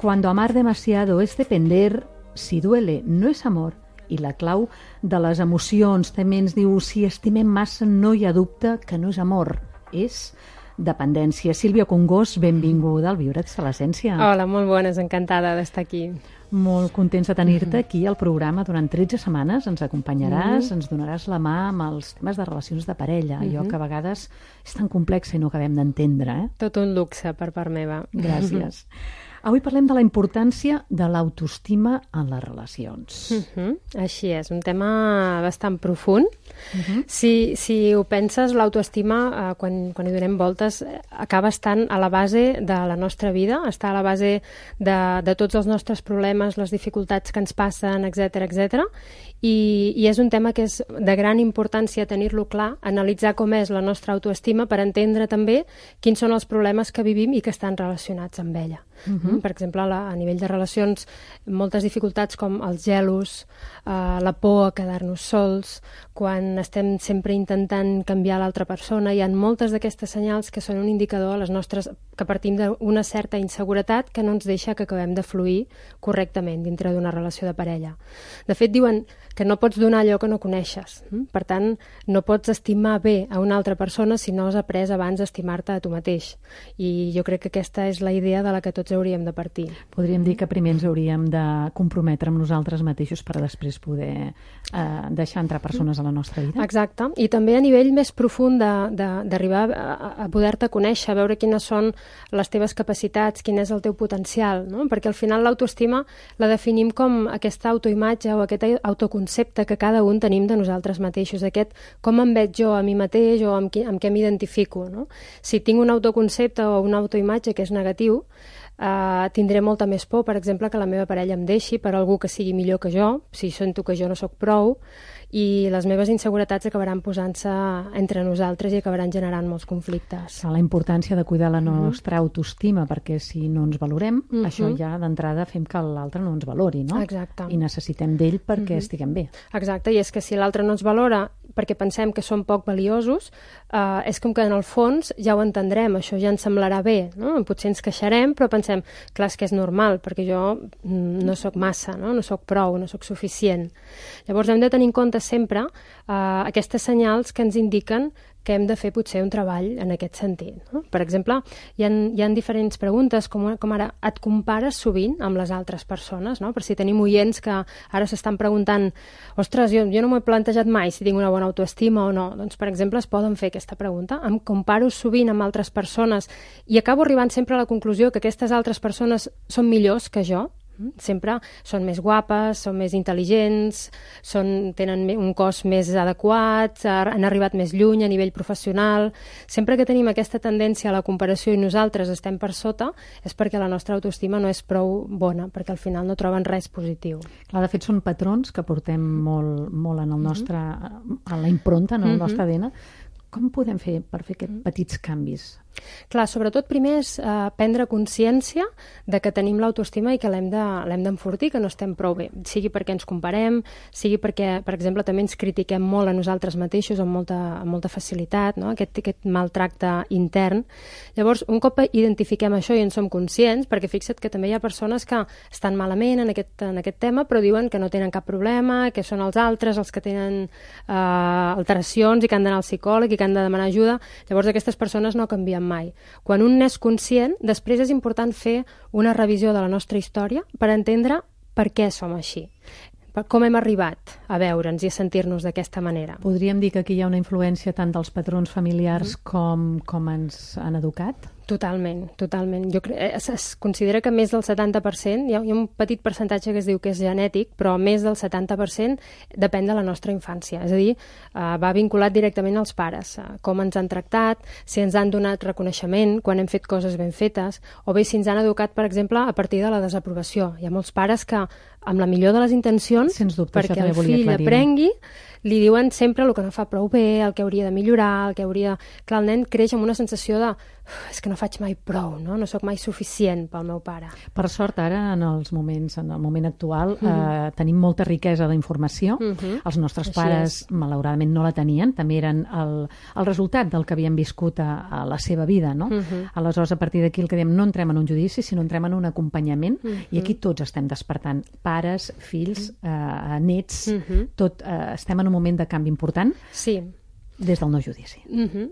Cuando amar demasiado es depender, Si duele no es amor, i la clau de les emocions. També ens diu, si estimem massa no hi ha dubte que no és amor, és dependència. Sílvia Congost, benvinguda al Viure des de l'essència. Hola, molt bones, encantada d'estar aquí. Molt contents de tenir-te aquí al programa durant 13 setmanes. Ens acompanyaràs, ens donaràs la mà amb els temes de relacions de parella, allò que a vegades és tan complex i no acabem d'entendre. Tot un luxe per part meva. Gràcies. Avui parlem de la importància de l'autoestima en les relacions. Així és, un tema bastant profund. Si ho penses, l'autoestima, quan hi donem voltes, acaba estant a la base de la nostra vida, està a la base de tots els nostres problemes, les dificultats que ens passen, etc. I és un tema que és de gran importància tenir-lo clar, analitzar com és la nostra autoestima per entendre també quins són els problemes que vivim i que estan relacionats amb ella. Per exemple, a nivell de relacions, moltes dificultats com els gelos, la por a quedar-nos sols, quan estem sempre intentant canviar l'altra persona, hi ha moltes d'aquestes senyals que són un indicador a les nostres, que partim d'una certa inseguretat que no ens deixa que acabem de fluir correctament dintre d'una relació de parella. De fet, diuen que no pots donar allò que no coneixes. Per tant, no pots estimar bé a una altra persona si no has après abans a estimar-te a tu mateix. I jo crec que aquesta és la idea de la que tots hauríem de partir. Podríem dir que primer ens hauríem de comprometre amb nosaltres mateixos per després poder deixar entrar persones a la nostra vida. Exacte, i també a nivell més profund d'arribar a poder-te conèixer, a veure quines són les teves capacitats, quin és el teu potencial, no? Perquè al final l'autoestima la definim com aquesta autoimatge o aquest autoconcepte que cada un tenim de nosaltres mateixos, aquest com em veig jo a mi mateix o amb què m'identifico, no? Si tinc un autoconcepte o una autoimatge que és negatiu, tindré molta més por, per exemple, que la meva parella em deixi per algú que sigui millor que jo, si sento que jo no sóc prou, i les meves inseguretats acabaran posant-se entre nosaltres i acabaran generant molts conflictes. La importància de cuidar la nostra autoestima, perquè si no ens valorem, això ja d'entrada fem que l'altre no ens valori, no? Exacte. I necessitem d'ell perquè estiguem bé. Exacte, i és que si l'altre no ens valora perquè pensem que som poc valiosos, és com que en el fons ja ho entendrem, això ja ens semblarà bé, no? Potser ens queixarem, però pensem, clar, és que és normal, perquè jo no sóc massa, no sóc prou, no sóc suficient. Llavors hem de tenir en compte sempre aquestes senyals que ens indiquen que hem de fer potser un treball en aquest sentit. No? Per exemple, hi ha diferents preguntes, com ara, et compares sovint amb les altres persones, no? Per si tenim oients que ara s'estan preguntant, ostres, jo no m'ho he plantejat mai si tinc una bona autoestima o no. Doncs, per exemple, es poden fer aquesta pregunta. Em comparo sovint amb altres persones i acabo arribant sempre a la conclusió que aquestes altres persones són millors que jo. Sempre són més guapes, són més intel·ligents, tenen un cos més adequat, han arribat més lluny a nivell professional. Sempre que tenim aquesta tendència a la comparació i nosaltres estem per sota, és perquè la nostra autoestima no és prou bona, perquè al final no troben res positiu. Clar, de fet, són patrons que portem molt en el nostre, en la impronta, en el nostre ADN. Com podem fer per fer aquests petits canvis? Clar, sobretot primer és prendre consciència de que tenim l'autoestima i que l'hem d'enfortir, que no estem prou bé. Sigui perquè ens comparem, sigui perquè, per exemple, també ens critiquem molt a nosaltres mateixos amb molta facilitat, no? Aquest maltracte intern. Llavors, un cop identifiquem això i en som conscients, perquè fixa't que també hi ha persones que estan malament en aquest tema, però diuen que no tenen cap problema, que són els altres els que tenen alteracions i que han d'anar al psicòleg i que han de demanar ajuda. Llavors, aquestes persones no canvien mai. Quan un n'és conscient, després és important fer una revisió de la nostra història per entendre per què som així, com hem arribat a veure'ns i a sentir-nos d'aquesta manera. Podríem dir que aquí hi ha una influència tant dels patrons familiars com ens han educat? Totalment. Es considera que més del 70%, hi ha un petit percentatge que es diu que és genètic, però més del 70% depèn de la nostra infància. És a dir, va vinculat directament als pares, com ens han tractat, si ens han donat reconeixement quan hem fet coses ben fetes, o bé si ens han educat, per exemple, a partir de la desaprovació. Hi ha molts pares que, amb la millor de les intencions, sens dubte, perquè el fill aprengui, li diuen sempre el que no fa prou bé, el que hauria de millorar, el que hauria... Clar, el nen creix amb una sensació de és que no faig mai prou, no sóc mai suficient pel meu pare. Per sort, ara, en el moment actual, tenim molta riquesa d'informació. Els nostres pares, malauradament, no la tenien. També eren el resultat del que havien viscut a la seva vida, no? Aleshores, a partir d'aquí el que diem, no entrem en un judici, sinó entrem en un acompanyament, i aquí tots estem despertant. Pares, fills, nets, tot estem en un moment de canvi important. Sí. Des del no judici.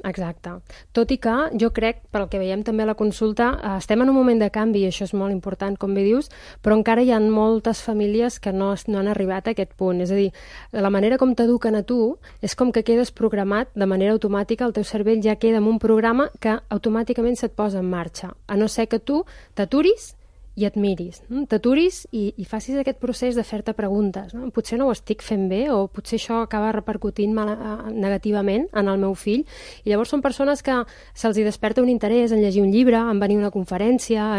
Exacte. Tot i que jo crec, pel que veiem també a la consulta, estem en un moment de canvi i això és molt important, com bé dius, però encara hi ha moltes famílies que no han arribat a aquest punt. És a dir, la manera com t'eduquen a tu és com que quedes programat de manera automàtica, el teu cervell ja queda en un programa que automàticament se't posa en marxa, a no ser que tu t'aturis i et miris, no? T'aturis i facis aquest procés de fer-te preguntes, no? Potser no ho estic fent bé o potser això acaba repercutint negativament en el meu fill, i llavors són persones que se'ls hi desperta un interès en llegir un llibre, en venir a una conferència,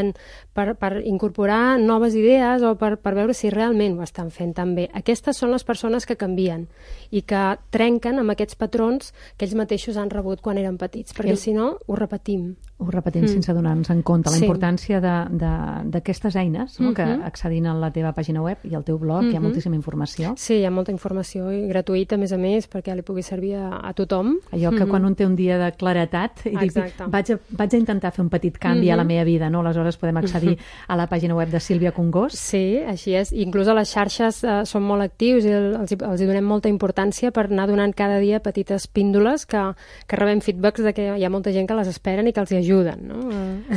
per incorporar noves idees o per veure si realment ho estan fent tan bé. Aquestes són les persones que canvien i que trenquen amb aquests patrons que ells mateixos han rebut quan eren petits, perquè si no ho repetim. Ho repetim sense donar-nos en compte. La importància d'aquestes eines, no? Que accedint a la teva pàgina web i al teu blog hi ha moltíssima informació. Sí, hi ha molta informació i gratuïta, a més, perquè li pugui servir a tothom. Allò que quan un té un dia de claretat i dic, vaig a intentar fer un petit canvi a la meva vida, no? Aleshores podem accedir entrar-hi a la pàgina web de Sílvia Congost. Sí, així és. Inclús a les xarxes són molt actius i els hi donem molta importància per anar donant cada dia petites píndoles que rebem feedbacks de que hi ha molta gent que les esperen i que els hi ajuden. No?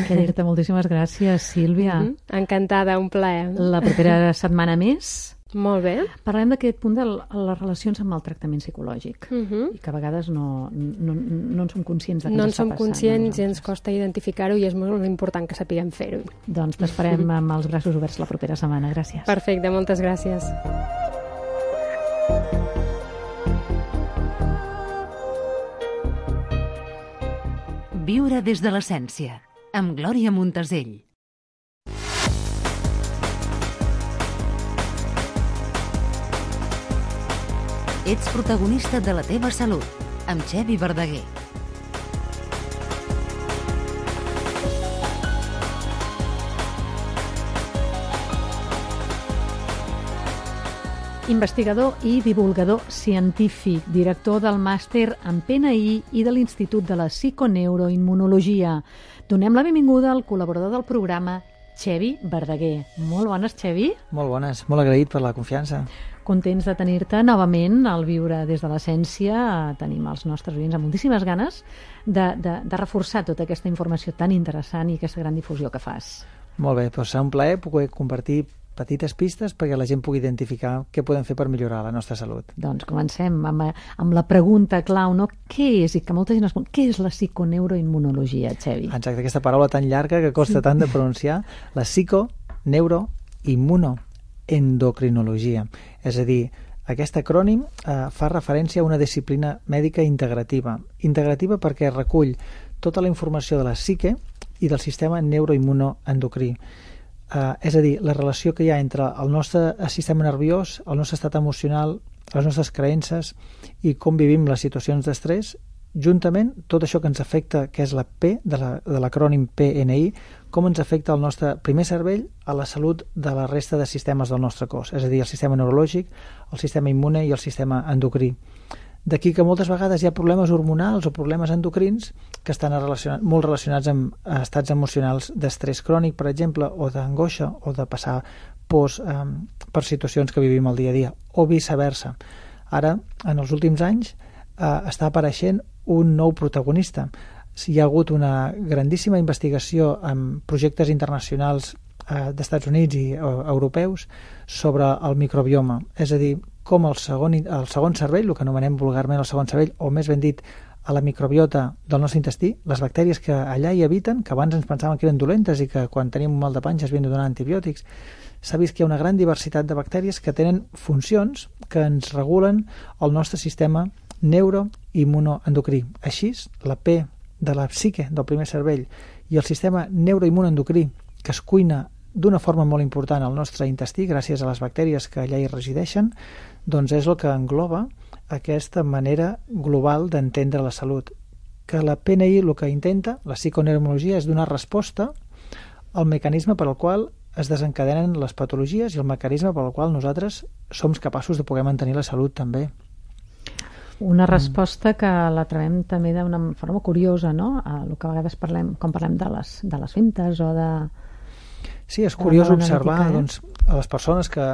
Que dir-te moltíssimes gràcies, Sílvia. Encantada, un plaer. La propera setmana més molt bé. Parlem d'aquest punt de les relacions amb el tractament psicològic i que a vegades no en som conscients de què ens està passant. No en som conscients i ens costa identificar-ho i és molt important que sapiguem fer-ho. Doncs t'esperem amb els braços oberts la propera setmana. Gràcies. Perfecte, moltes gràcies. Viure des de l'essència, amb Glòria Montesell. Ets protagonista de la teva salut, amb Xevi Verdaguer. Investigador i divulgador científic, director del màster en PNI i de l'Institut de la Psiconeuroimmunologia. Donem la benvinguda al col·laborador del programa, Xevi Verdaguer. Molt bones, Xevi. Molt bones, molt agraït per la confiança. Contents de tenir-te novament al Viure des de l'Essència. Tenim els nostres oients amb moltíssimes ganes de reforçar tota aquesta informació tan interessant i aquesta gran difusió que fas. Molt bé, doncs serà un plaer poder compartir petites pistes perquè la gent pugui identificar què podem fer per millorar la nostra salut. Doncs comencem amb la pregunta clau, no? Què és? I que molta gent es pregunta, què és la psiconeuroimmunologia, Xevi? Exacte, aquesta paraula tan llarga que costa tant de pronunciar. La psico, neuro, immuno, endocrinologia. És a dir, aquest acrònim fa referència a una disciplina mèdica integrativa. Integrativa perquè recull tota la informació de la psique i del sistema neuroimmunoendocrí. És a dir, la relació que hi ha entre el nostre sistema nerviós, el nostre estat emocional, les nostres creences i com vivim les situacions d'estrès, juntament tot això que ens afecta, que és la P de l'acrònim PNI, com ens afecta el nostre primer cervell a la salut de la resta de sistemes del nostre cos, és a dir, el sistema neurològic, el sistema immune i el sistema endocrí. D'aquí que moltes vegades hi ha problemes hormonals o problemes endocrins que estan molt relacionats amb estats emocionals d'estrès crònic, per exemple, o d'angoixa, o de passar pors per situacions que vivim el dia a dia, o viceversa. Ara, en els últims anys, està apareixent un nou protagonista. Hi ha hagut una grandíssima investigació en projectes internacionals d'Estats Units i europeus sobre el microbioma, és a dir, com el segon cervell, el que anomenem vulgarment el segon cervell, o més ben dit, a la microbiota del nostre intestí, les bactèries que allà hi habiten, que abans ens pensaven que eren dolentes i que quan tenim un mal de panxa es havien de donar antibiòtics, s'ha vist que hi ha una gran diversitat de bactèries que tenen funcions que ens regulen el nostre sistema neuroimmunoendocrí. Així, la P de la psique del primer cervell i el sistema neuroimmunoendocrí, que es cuina d'una forma molt important al nostre intestí gràcies a les bactèries que allà hi resideixen, doncs és el que engloba aquesta manera global d'entendre la salut. Que la PNI el que intenta, la psiconeuroimmunologia, és donar resposta al mecanisme per al qual es desencadenen les patologies i el mecanisme per al qual nosaltres som capaços de poder mantenir la salut també. Una resposta que la trobem també d'una forma curiosa, no? El que a vegades parlem, quan parlem de les fintes o de... Sí, és curiós observar doncs, a les persones que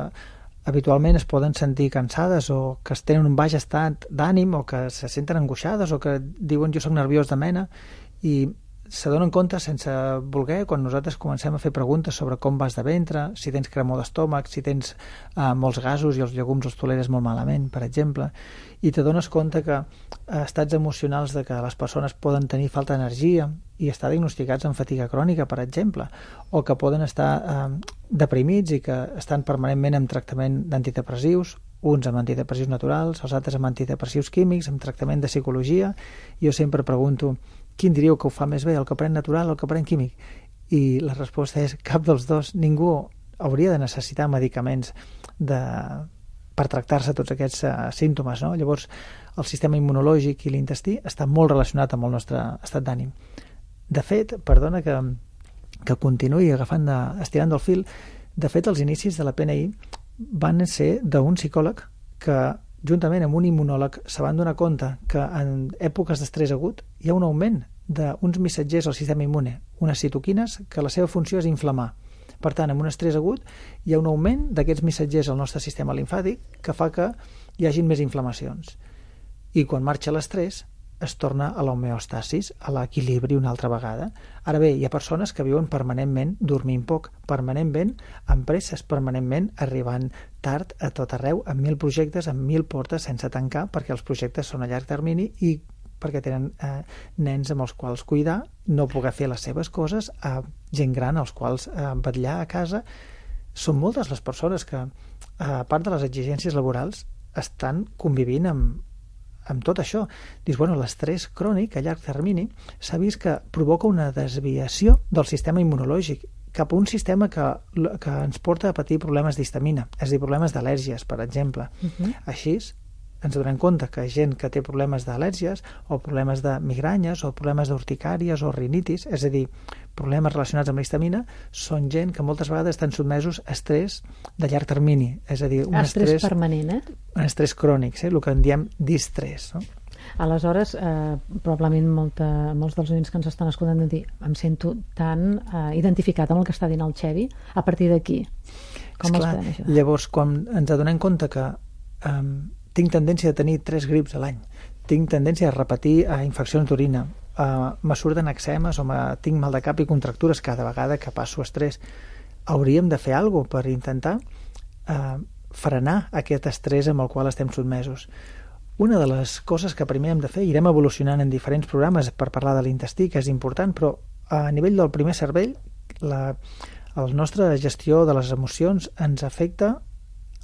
habitualment es poden sentir cansades o que tenen un baix estat d'ànim o que se senten angoixades o que diuen jo soc nerviós de mena i se donen compte sense voler quan nosaltres comencem a fer preguntes sobre com vas de ventre, si tens cremor d'estómac, si tens molts gasos i els llegums els toleres molt malament, per exemple, i te dones compte que estats emocionals de que les persones poden tenir falta d'energia i estar diagnosticats amb fatiga crònica, per exemple, o que poden estar deprimits i que estan permanentment en tractament d'antidepressius, uns amb antidepressius naturals, els altres amb antidepressius químics, amb tractament de psicologia. Jo sempre pregunto, quin diríeu que ho fa més bé, el que pren natural o el que pren químic? I la resposta és cap dels dos. Ningú hauria de necessitar medicaments per tractar-se tots aquests símptomes, no? Llavors, el sistema immunològic i l'intestí està molt relacionat amb el nostre estat d'ànim. De fet, perdona que continuï estirant del fil, de fet, els inicis de la PNI van ser d'un psicòleg que, juntament amb un immunòleg, se van donar compte que en èpoques d'estrès agut hi ha un augment d'uns missatgers al sistema immune, unes citoquines, que la seva funció és inflamar. Per tant, amb un estrès agut hi ha un augment d'aquests missatgers al nostre sistema limfàtic que fa que hi hagin més inflamacions. I quan marxa l'estrès es torna a l'homeostasis, a l'equilibri una altra vegada. Ara bé, hi ha persones que viuen permanentment dormint poc, permanentment amb presses, permanentment arribant tard a tot arreu, amb 1000 projectes, amb 1000 portes sense tancar, perquè els projectes són a llarg termini i perquè tenen nens amb els quals cuidar, no poder fer les seves coses, gent gran als quals vetllar a casa. Són moltes les persones que, a part de les exigències laborals, estan convivint amb tot això. Dius, bueno, l'estrès crònic a llarg termini s'ha vist que provoca una desviació del sistema immunològic cap a un sistema que ens porta a patir problemes d'histamina, és a dir, problemes d'al·lèrgies, per exemple. Així, ens donem compte que gent que té problemes d'al·lèrgies o problemes de migranyes o problemes d'urticàries o rinitis, és a dir, problemes relacionats amb la histamina, són gent que moltes vegades estan sotmesos a estrès de llarg termini, és a dir, un estrès permanent, un estrès crònic, el que en diem distrès, no? Aleshores, probablement molts dels oients que ens estan escoltant han de dir, em sento tan identificat amb el que està dient el Xevi, a partir d'aquí. Com els podem ajudar? Llavors, quan ens adonem compte que tinc tendència a tenir 3 grips a l'any, tinc tendència a repetir infeccions d'orina, me surten eczemes o tinc mal de cap i contractures cada vegada que passo estrès, hauríem de fer alguna cosa per intentar frenar aquest estrès amb el qual estem sotmesos. Una de les coses que primer hem de fer, irem evolucionant en diferents programes per parlar de l'intestí, que és important, però a nivell del primer cervell, la nostra gestió de les emocions ens afecta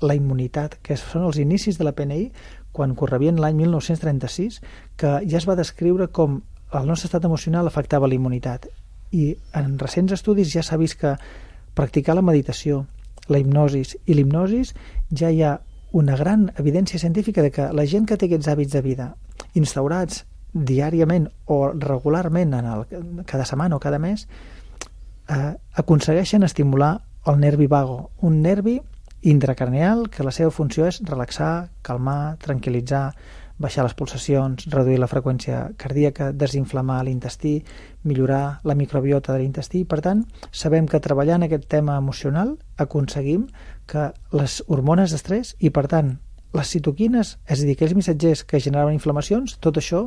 la immunitat, que són els inicis de la PNI, quan correbien l'any 1936, que ja es va descriure com el nostre estat emocional afectava la immunitat. I en recents estudis ja s'ha vist que practicar la meditació, la hipnosis i l'hipnosis, ja hi ha una gran evidència científica de que la gent que té aquests hàbits de vida instaurats diàriament o regularment cada setmana o cada mes, aconsegueixen estimular el nervi vago, un nervi intracraneal que la seva funció és relaxar, calmar, tranquil·litzar, baixar les pulsacions, reduir la freqüència cardíaca, desinflamar l'intestí, millorar la microbiota de l'intestí. Per tant, sabem que treballant aquest tema emocional aconseguim que les hormones d'estrès i, per tant, les citoquines, és a dir, aquells missatgers que generaven inflamacions, tot això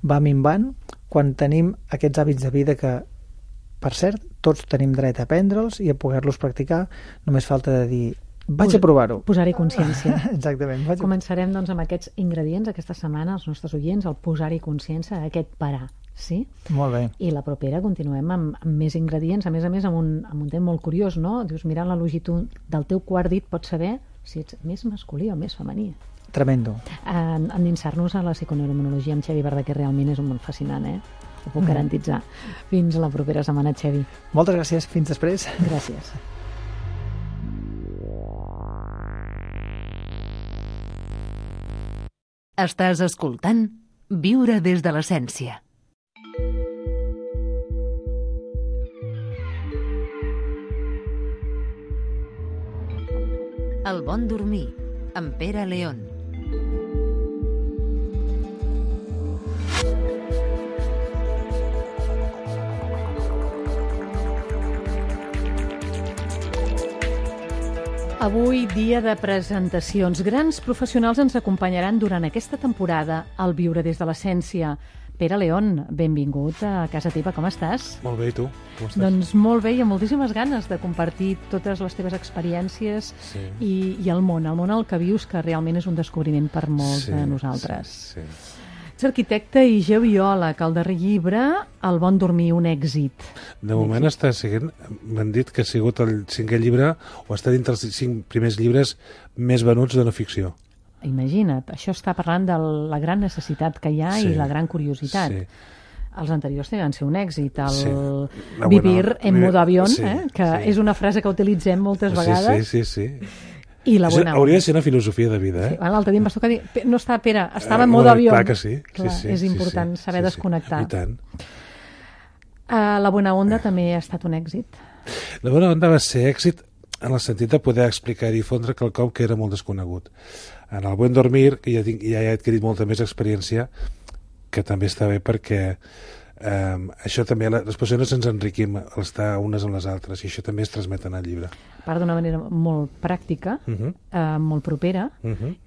va minvant quan tenim aquests hàbits de vida que, per cert, tots tenim dret a aprendre'ls i a poder-los practicar. Només falta de dir, vaig a provar-ho. Posar-hi consciència. Exactament. Començarem doncs amb aquests ingredients aquesta setmana, els nostres oients, el posar-hi consciència, aquest parar. Sí? Molt bé. I la propera continuem amb més ingredients, a més amb un tema molt curiós, no? Dius, mirant la longitud del teu quart dit pots saber si ets més masculí o més femení. Tremendo. Endinsar-nos a la psiconeuroimmunologia amb Xevi Verdaguer realment és un món fascinant, Ho puc garantitzar. Fins la propera setmana, Xevi. Moltes gràcies. Fins després. Gràcies. Estàs escoltant Viure des de l'essència. El bon dormir, amb Pere León. Avui, dia de presentacions. Grans professionals ens acompanyaran durant aquesta temporada al Viure des de l'essència. Pere León, benvingut a casa teva, com estàs? Molt bé, i tu? Com estàs? Doncs molt bé, i amb moltíssimes ganes de compartir totes les teves experiències i el món al que vius, que realment és un descobriment per molts de nosaltres. Sí. Ets arquitecte i geobiòleg. El darrer llibre, El bon dormir, un èxit. De moment està sent, m'han dit que ha sigut el 5è llibre o està dintre els 5 primers llibres més venuts de no ficció. Imagina't, això està parlant de la gran necessitat que hi ha i la gran curiositat. Sí. Els anteriors van ser un èxit. Vivir en modo avión, que és una frase que utilitzem moltes vegades. Sí. I la bona hauria de ser una filosofia de vida, Sí, l'altre dia em vas tocar dir, no està, Pere, estava en modo avió. Clar que sí. És important saber desconnectar. I tant. La bona onda també ha estat un èxit. La bona onda va ser èxit en el sentit de poder explicar i difondre quelcom que era molt desconegut. En el Buen Dormir, que ja he adquirit molta més experiència, que també està bé perquè Això també, les persones ens enriquim al estar unes amb les altres, i això també es transmet en el llibre. A part d'una manera molt pràctica, molt propera,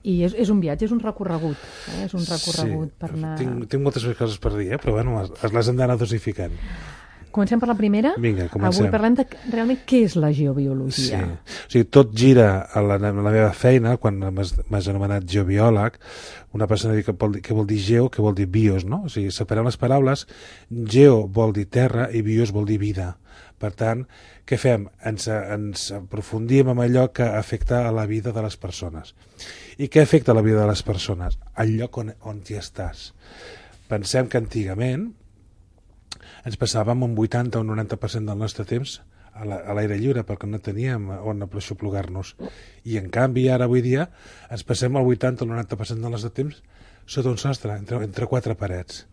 i és un viatge, és un recorregut. És un recorregut per anar... Tinc moltes més coses per dir, però bueno, les hem d'anar dosificant. Comencem per la primera. Vinga, comencem. Avui parlem de realment què és la geobiologia. Sí. O sigui, tot gira a la meva feina, quan m'has anomenat geobiòleg, una persona diu què vol dir geo, què vol dir bios, no? O sigui, separem les paraules, geo vol dir terra i bios vol dir vida. Per tant, què fem? Ens aprofundim en allò que afecta a la vida de les persones. I què afecta a la vida de les persones? El lloc on hi estàs. Pensem que antigament ens passàvem un 80 o un 90% del nostre temps a l'aire lliure perquè no teníem on aixoplugar-nos. I en canvi, ara avui dia, ens passem el 80 o el 90% del nostre temps sota un sostre, entre quatre parets.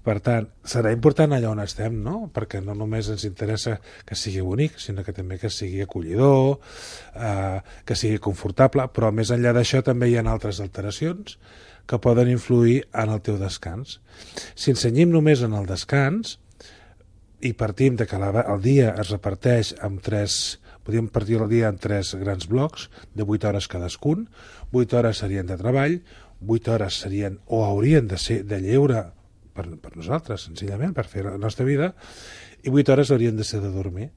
Per tant, serà important allà on estem, no? Perquè no només ens interessa que sigui bonic, sinó que també que sigui acollidor, que sigui confortable, però més enllà d'això també hi ha altres alteracions que poden influir en el teu descans. Si ens cenyim només en el descans, i partim de que el dia es reparteix amb podríem partir el dia en 3 grans blocs de 8 hores cadascun. 8 hores serien de treball, 8 hores serien o haurien de ser de lleure per nosaltres, senzillament, per fer la nostra vida, i 8 hores haurien de ser de dormir.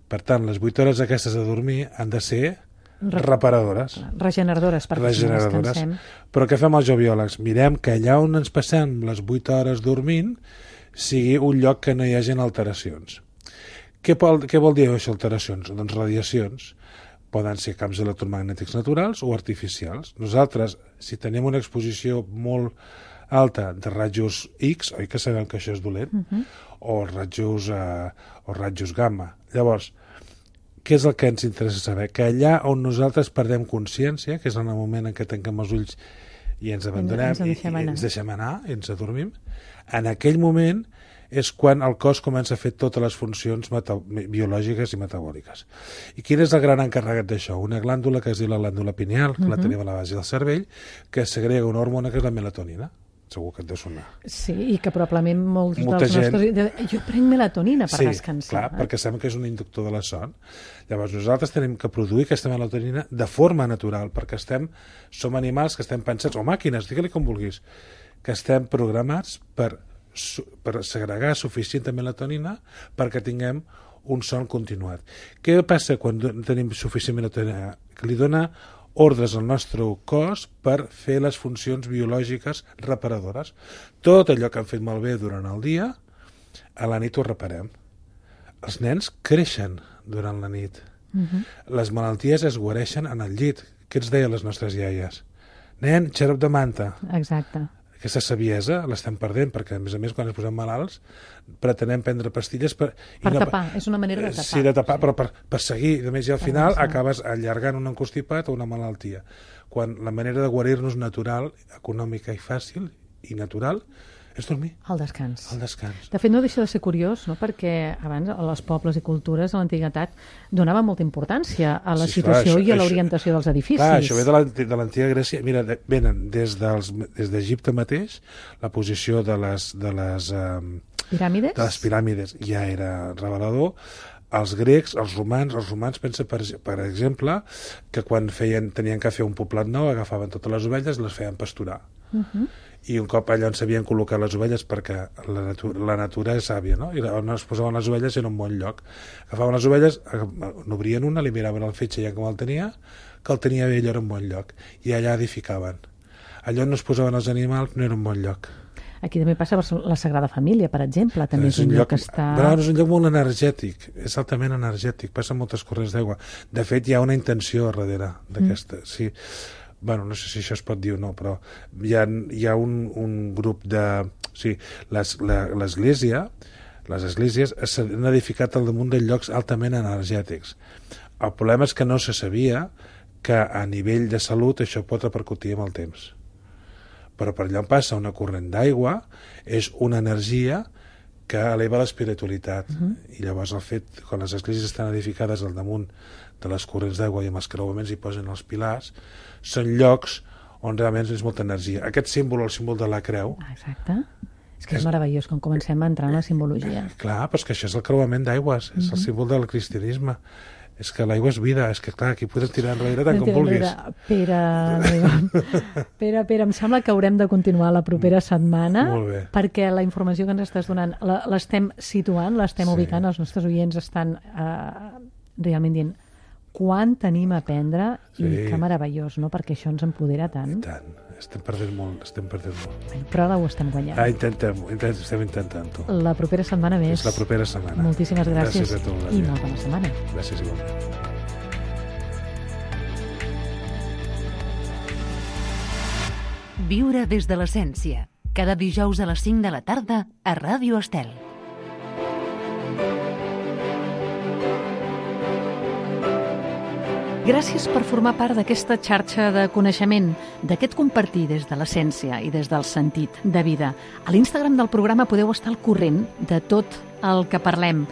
Per tant, les 8 hores aquestes de dormir han de ser reparadores. Regeneradores, perquè descansem. Però què fem els geobiòlegs? Mirem que allà on ens passem les 8 hores dormint sigui un lloc que no hi hagi alteracions. Què vol dir això, alteracions? Doncs radiacions. Poden ser camps electromagnètics naturals o artificials. Nosaltres, si tenim una exposició molt alta de rajos X, oi que sabem que això és dolent? O rajos gamma. Llavors, què és el que ens interessa saber? Que allà on nosaltres perdem consciència, que és en el moment en què tanquem els ulls i ens abandonem, i ens deixem anar, i ens adormim, en aquell moment és quan el cos comença a fer totes les funcions biològiques i metabòliques. I quin és el gran encarregat d'això? Una glàndula que es diu la glàndula pineal, que la tenim a la base del cervell, que segrega una hormona que és la melatonina. Segur que et deu sonar. Sí, i que probablement molts dels nostres... Jo prenc melatonina per descansar. Sí, clar, perquè sabem que és un inductor de la son. Llavors nosaltres tenim que produir aquesta melatonina de forma natural, perquè som animals que estem pensats, o màquines, digue-li com vulguis, que estem programats per segregar suficient melatonina perquè tinguem un son continuat. Què passa quan tenim suficient melatonina? Que li dona ordres al nostre cos per fer les funcions biològiques reparadores. Tot allò que han fet malbé durant el dia, a la nit ho reparem. Els nens creixen durant la nit. Les malalties es guareixen en el llit. Què ens deien les nostres iaies? Nen, xarop de manta. Exacte. Aquesta saviesa l'estem perdent, perquè a més quan ens posem malalts pretenem prendre pastilles per tapar, és una manera de tapar. Sí, de tapar, però per seguir, i al final acabes allargant un constipat o una malaltia, quan la manera de guarir-nos natural, econòmica i fàcil i natural és dormir. El descans. El descans. De fet, no deixa de ser curiós, no? Perquè abans els pobles i cultures a l'antiguitat donaven molta importància a la situació i a l'orientació dels edificis. Clar, això ve de l'antiga Grècia. Mira, venen des d'Egipte mateix, la posició de les piràmides? De les piràmides ja era revelador. Els grecs, els romans pensa, per exemple, que quan tenien que fer un poblat nou, agafaven totes les ovelles i les feien pasturar. I un cop allà on s'havien col·locat les ovelles, perquè la natura és sàvia, no? I on es posaven les ovelles era un bon lloc. Agafaven les ovelles, n'obrien una, li miraven el fetge ja com el tenia, que el tenia bé, allò era un bon lloc. I allà edificaven. Allò on no es posaven els animals no era un bon lloc. Aquí també passa la Sagrada Família, per exemple, també és un lloc que està... Però és un lloc molt energètic, és altament energètic, passen moltes corrents d'aigua. De fet, hi ha una intenció darrere d'aquesta, sí. Bueno, no sé si això es pot dir o no, però hi ha un grup de... Sí, l'Església, les esglésies s'han edificat al damunt de llocs altament energètics. El problema és que no se sabia que a nivell de salut això pot repercutir amb el temps. Però per allà on passa una corrent d'aigua és una energia que eleva l'espiritualitat. I llavors el fet, quan les esglésies estan edificades al damunt de les corrents d'aigua i amb els creuaments hi posen els pilars, són llocs on realment és molta energia. Aquest símbol, el símbol de la creu, exacte, És que és meravellós quan comencem a entrar en la simbologia. Clar, però és que això és el creuament d'aigües, és el símbol del cristianisme. És que l'aigua és vida, és que clar, aquí podem tirar enrere tant com vulguis. Pere, em sembla que haurem de continuar la propera setmana, perquè la informació que ens estàs donant l'estem situant, l'estem ubicant, els nostres oients estan realment dient quan tenim a aprendre i que meravellós, no? Perquè això ens empodera tant. I tant, estem perdent molt. Però ara ho estem guanyant. Estem intentant-ho. La propera setmana més. És la propera setmana. Moltíssimes gràcies. Gràcies a tu, i molt bona setmana. Gràcies igualment. Viure des de l'essència. Cada dijous a les 5 de la tarda a Ràdio Estel. Gràcies per formar part d'aquesta xarxa de coneixement, d'aquest compartir des de l'essència i des del sentit de vida. A l'Instagram del programa podeu estar al corrent de tot el que parlem.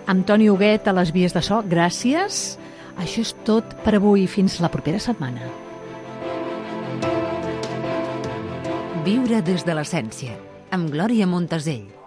Antoni Huguet a les vies de so, gràcies. Això és tot per avui. Fins la propera setmana. Viure des de l'essència, amb Glòria Montesell.